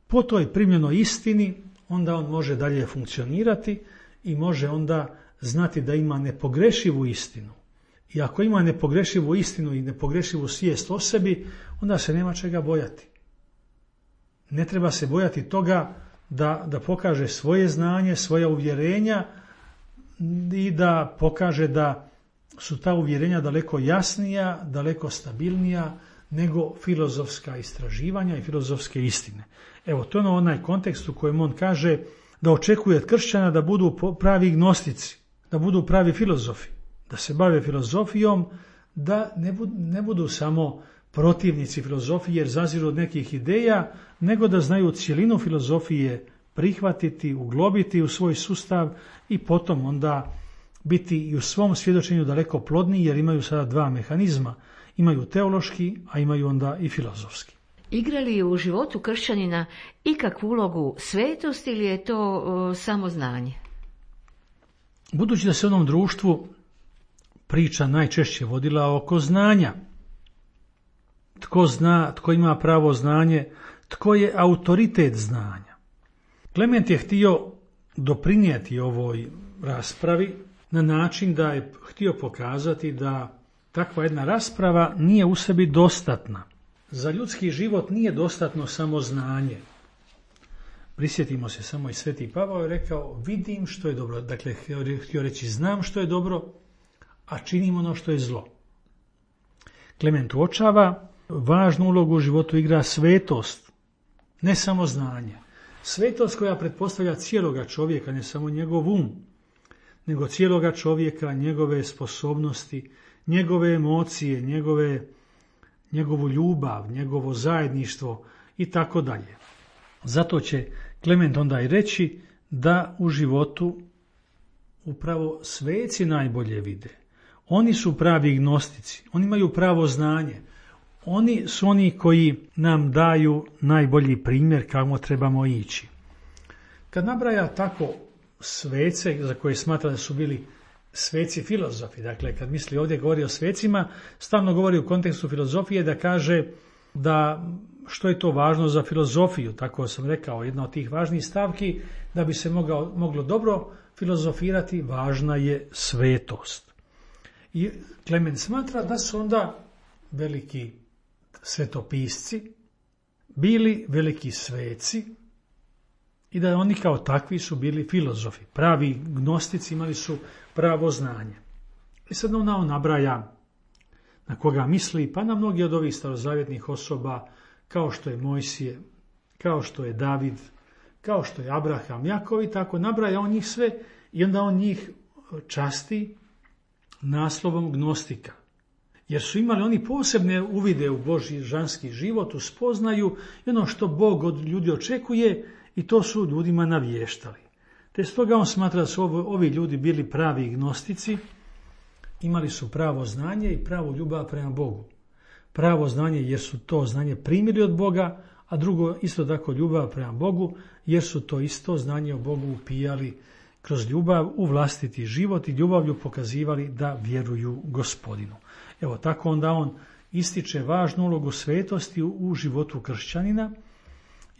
Po toj primljenoj istini onda on može dalje funkcionirati i može onda znati da ima nepogrešivu istinu. I ako ima nepogrešivu istinu i nepogrešivu svijest o sebi, onda se nema čega bojati. Ne treba se bojati toga da pokaže svoje znanje, svoja uvjerenja i da pokaže da su ta uvjerenja daleko jasnija, daleko stabilnija nego filozofska istraživanja i filozofske istine. Evo, to je onaj kontekst u kojem on kaže da očekuje od kršćana da budu pravi gnostici, da budu pravi filozofi, da se bave filozofijom, da ne budu samo protivnici filozofije jer zaziru od nekih ideja, nego da znaju cjelinu filozofije prihvatiti, uglobiti u svoj sustav i potom onda biti i u svom svjedočenju daleko plodniji jer imaju sada dva mehanizma. Imaju teološki, a imaju onda i filozofski. Igra li u životu kršćanina ikakvu ulogu svetost ili je to samo znanje? Budući da se u onom društvu priča najčešće vodila oko znanja, tko zna, tko ima pravo znanje, tko je autoritet znanja. Klement je htio doprinijeti ovoj raspravi na način da je htio pokazati da takva jedna rasprava nije u sebi dostatna za ljudski život nije dostatno samo znanje. Prisjetimo se samo i Sveti Pavao je rekao, vidim što je dobro. Dakle, htio reći, znam što je dobro, a činim ono što je zlo. Klement uočava, važnu ulogu u životu igra svetost, ne samo znanje. Svetost koja pretpostavlja cijeloga čovjeka, ne samo njegov um, nego cijeloga čovjeka, njegove sposobnosti, njegove emocije, njegovu ljubav, njegovo zajedništvo i tako dalje. Zato će Klement onda i reći da u životu upravo sveci najbolje vide. Oni su pravi gnostici, oni imaju pravo znanje. Oni su oni koji nam daju najbolji primjer kako trebamo ići. Kad nabraja tako svece, za koje smatra da su bili sveci filozofi, dakle kad misli ovdje govori o svecima, stalno govori u kontekstu filozofije da kaže da što je to važno za filozofiju, tako sam rekao, jedna od tih važnih stavki, da bi se moglo dobro filozofirati, važna je svetost. I Klement smatra da su onda veliki svetopisci bili veliki sveci i da oni kao takvi su bili filozofi. Pravi gnostici imali su pravo znanje. I sad on nabraja na koga misli, pa na mnogi od ovih starozavjetnih osoba, kao što je Mojsije, kao što je David, kao što je Abraham, Jakov i tako, nabraja on njih sve i onda on njih časti naslovom gnostika. Jer su imali oni posebne uvide u Božji žanski život, u spoznaju i ono što Bog od ljudi očekuje i to su ljudima navještali. Te stoga on smatra da su ovi ljudi bili pravi gnostici, imali su pravo znanje i pravu ljubav prema Bogu. Pravo znanje jer su to znanje primili od Boga, a drugo isto tako ljubav prema Bogu jer su to isto znanje o Bogu upijali kroz ljubav u vlastiti život i ljubavlju pokazivali da vjeruju Gospodinu. Evo tako onda on ističe važnu ulogu svetosti u životu kršćanina,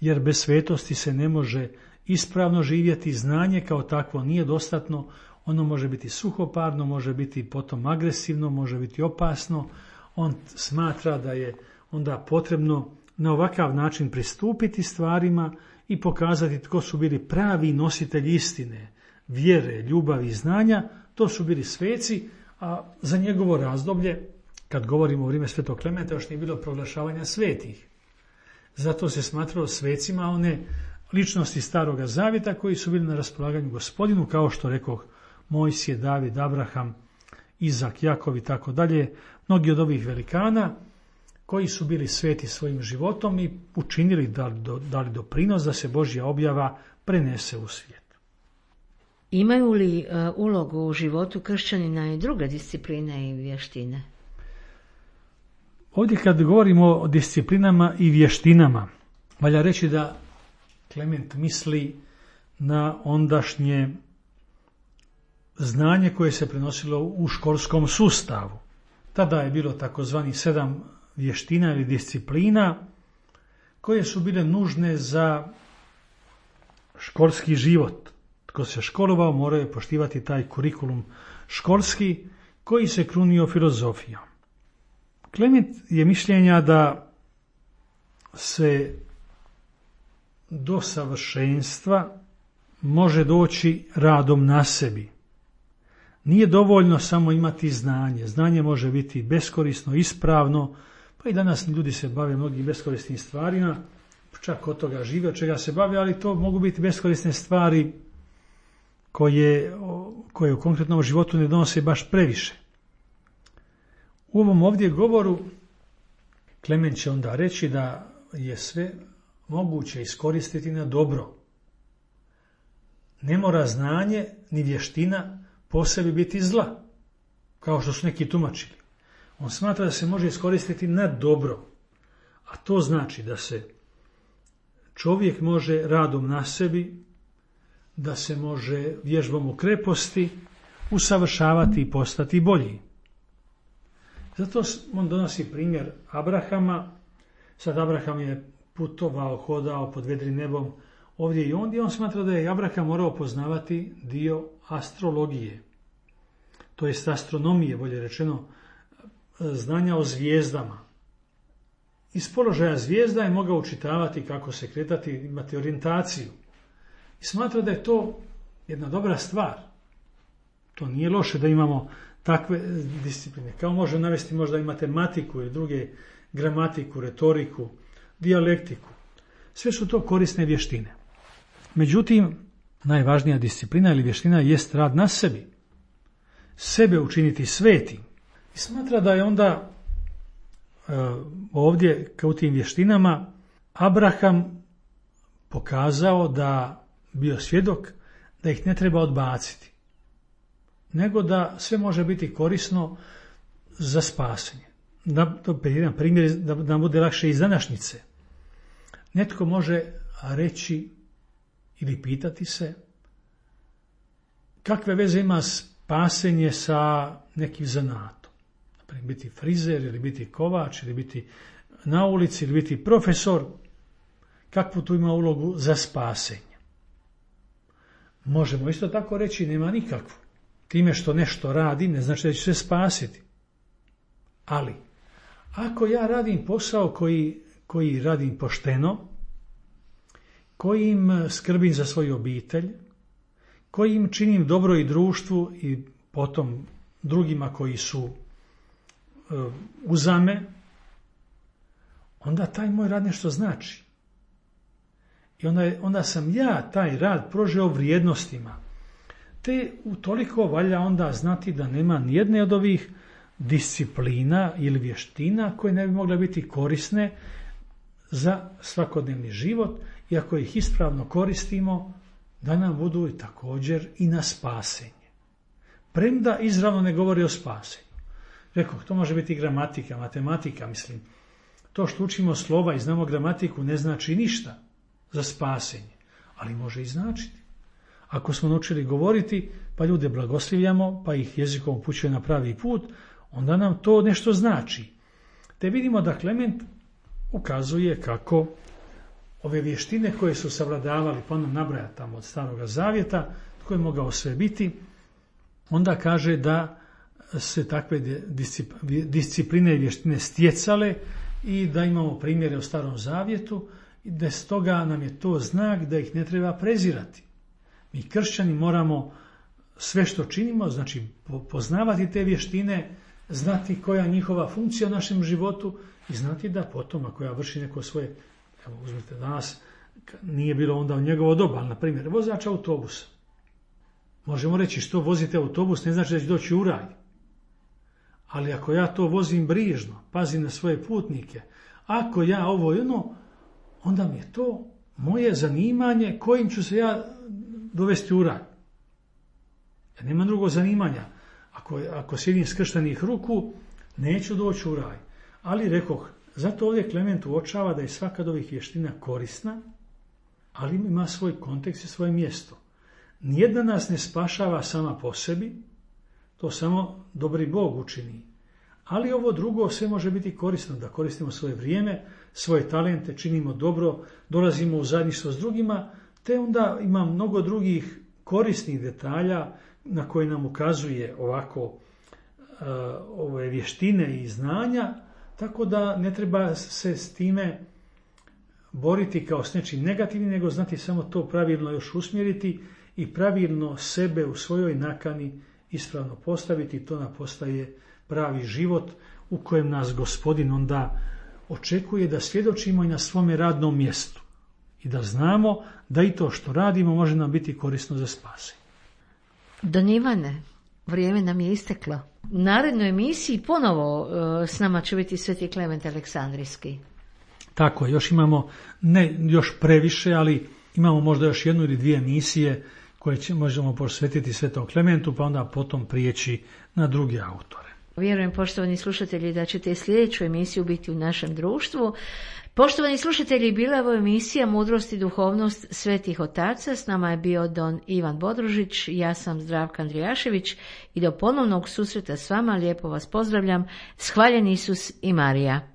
jer bez svetosti se ne može ispravno živjeti, znanje kao takvo nije dostatno, ono može biti suhoparno, može biti potom agresivno, može biti opasno. On smatra da je onda potrebno na ovakav način pristupiti stvarima i pokazati tko su bili pravi nositelji istine, vjere, ljubavi i znanja, to su bili sveci, a za njegovo razdoblje, kad govorimo o vrijeme Svetog Klementa, još nije bilo proglašavanja svetih. Zato se smatralo svecima one ličnosti Staroga Zavjeta koji su bili na raspolaganju Gospodinu, kao što rekoh Mojsije, David, Abraham, Izak, Jakov i tako dalje, mnogi od ovih velikana koji su bili sveti svojim životom i učinili dali doprinos da se Božja objava prenese u svijet. Imaju li ulogu u životu kršćanina i druge discipline i vještine? Ovdje kad govorimo o disciplinama i vještinama, valja reći da Klement misli na ondašnje znanje koje se prenosilo u školskom sustavu. Tada je bilo takozvani 7 vještina ili disciplina koje su bile nužne za školski život. Tko se školovao morao je poštivati taj kurikulum školski koji se krunio filozofijom. Klement je mišljenja da se do savršenstva može doći radom na sebi. Nije dovoljno samo imati znanje. Znanje može biti beskorisno, ispravno, pa i danas ljudi se bave mnogim beskorisnim stvarima, čak od toga žive, od čega se bave, ali to mogu biti beskorisne stvari koje u konkretnom životu ne donose baš previše. U ovom ovdje govoru Klement će onda reći da je sve moguće iskoristiti na dobro. Ne mora znanje ni vještina po sebi biti zla, kao što su neki tumačili. On smatra da se može iskoristiti na dobro, a to znači da se čovjek može radom na sebi, da se može vježbom u kreposti usavršavati i postati bolji. Zato on donosi primjer Abrahama. Sad Abraham je putovao, hodao pod vedrim nebom ovdje i ondje. On smatra da je Abraham morao poznavati dio astrologije, to jest astronomije, bolje rečeno, znanja o zvijezdama. iz položaja zvijezda je mogao učitavati kako se kretati, imati orijentaciju. I smatra da je to jedna dobra stvar. To nije loše da imamo takve discipline. Kao može navesti možda i matematiku ili druge, gramatiku, retoriku, dijalektiku. Sve su to korisne vještine. Međutim, najvažnija disciplina ili vještina jest rad na sebi. Sebe učiniti svetim. I smatra da je onda ovdje, kao u tim vještinama, Abraham pokazao da bio svjedok da ih ne treba odbaciti, nego da sve može biti korisno za spasenje. To je jedan primjer da nam bude lakše iz današnjice. Netko može reći ili pitati se kakve veze ima spasenje sa nekim zanatom. Naprimjer, biti frizer ili biti kovač ili biti na ulici ili biti profesor. Kakvu tu ima ulogu za spasenje? Možemo isto tako reći nema nikakvu. Time što nešto radim ne znači da ću se spasiti. Ali, ako ja radim posao koji radim pošteno, kojim skrbim za svoju obitelj, kojim činim dobro i društvu i potom drugima koji su uzame, onda taj moj rad nešto znači. I onda sam ja taj rad prožeo vrijednostima. Te utoliko valja onda znati da nema nijedne od ovih disciplina ili vještina koje ne bi mogle biti korisne za svakodnevni život i ako ih ispravno koristimo da nam budu i također i na spasenje. Premda izravno ne govori o spasenju. Rekao, to može biti gramatika, matematika, mislim. To što učimo slova i znamo gramatiku ne znači ništa za spasenje, ali može i značiti. Ako smo naučili govoriti, pa ljude blagoslivljamo, pa ih jezikom upućuje na pravi put, onda nam to nešto znači. Te vidimo da Klement ukazuje kako ove vještine koje su savladavali, pa ono nabraja tamo od Staroga Zavjeta, tko je mogao sve biti, onda kaže da se takve discipline i vještine stjecale i da imamo primjere u Starom Zavjetu i da stoga nam je to znak da ih ne treba prezirati. Mi kršćani moramo sve što činimo, znači poznavati te vještine, znati koja je njihova funkcija u našem životu i znati da potom ako ja vrši neko svoje, evo uzmite danas, nije bilo onda u njegovo doba, ali na primjer vozač autobusa. Možemo reći što vozite autobus ne znači da će doći u raj. Ali ako ja to vozim brižno, pazim na svoje putnike, ako ja ovo i ono, onda mi je to moje zanimanje kojim ću se ja dovesti u raj. Ja nemam drugog zanimanja. Ako sjedim skrštenih ruku, neću doći u raj. Ali rekoh, zato ovdje Klement uočava da je svaka od ovih vještina korisna, ali ima svoj kontekst i svoje mjesto. Nijedna nas ne spašava sama po sebi, to samo dobri Bog učini. Ali ovo drugo sve može biti korisno, da koristimo svoje vrijeme, svoje talente, činimo dobro, dolazimo u zajedništvo s drugima, te onda ima mnogo drugih korisnih detalja na koje nam ukazuje ovako ove vještine i znanja, tako da ne treba se s time boriti kao s nečim negativnim, nego znati samo to pravilno još usmjeriti i pravilno sebe u svojoj nakani ispravno postaviti. To nam postaje pravi život u kojem nas Gospodin onda očekuje da svjedočimo i na svome radnom mjestu i da znamo da i to što radimo može nam biti korisno za spasenje. Don Ivane, vrijeme nam je isteklo. U narednoj emisiji ponovo s nama će biti Sveti Klement Aleksandrijski. Tako, još imamo, ne još previše, ali imamo možda još jednu ili dvije emisije koje možemo posvetiti Svetom Klementu, pa onda potom prijeći na druge autore. Vjerujem, poštovani slušatelji, da ćete i sljedeću emisiju biti u našem društvu. Poštovani slušatelji, bila je ovo emisija Mudrost i duhovnost svetih otaca. S nama je bio don Ivan Bodružić, ja sam Zdravka Andrijašević i do ponovnog susreta s vama lijepo vas pozdravljam. Hvaljen Isus i Marija.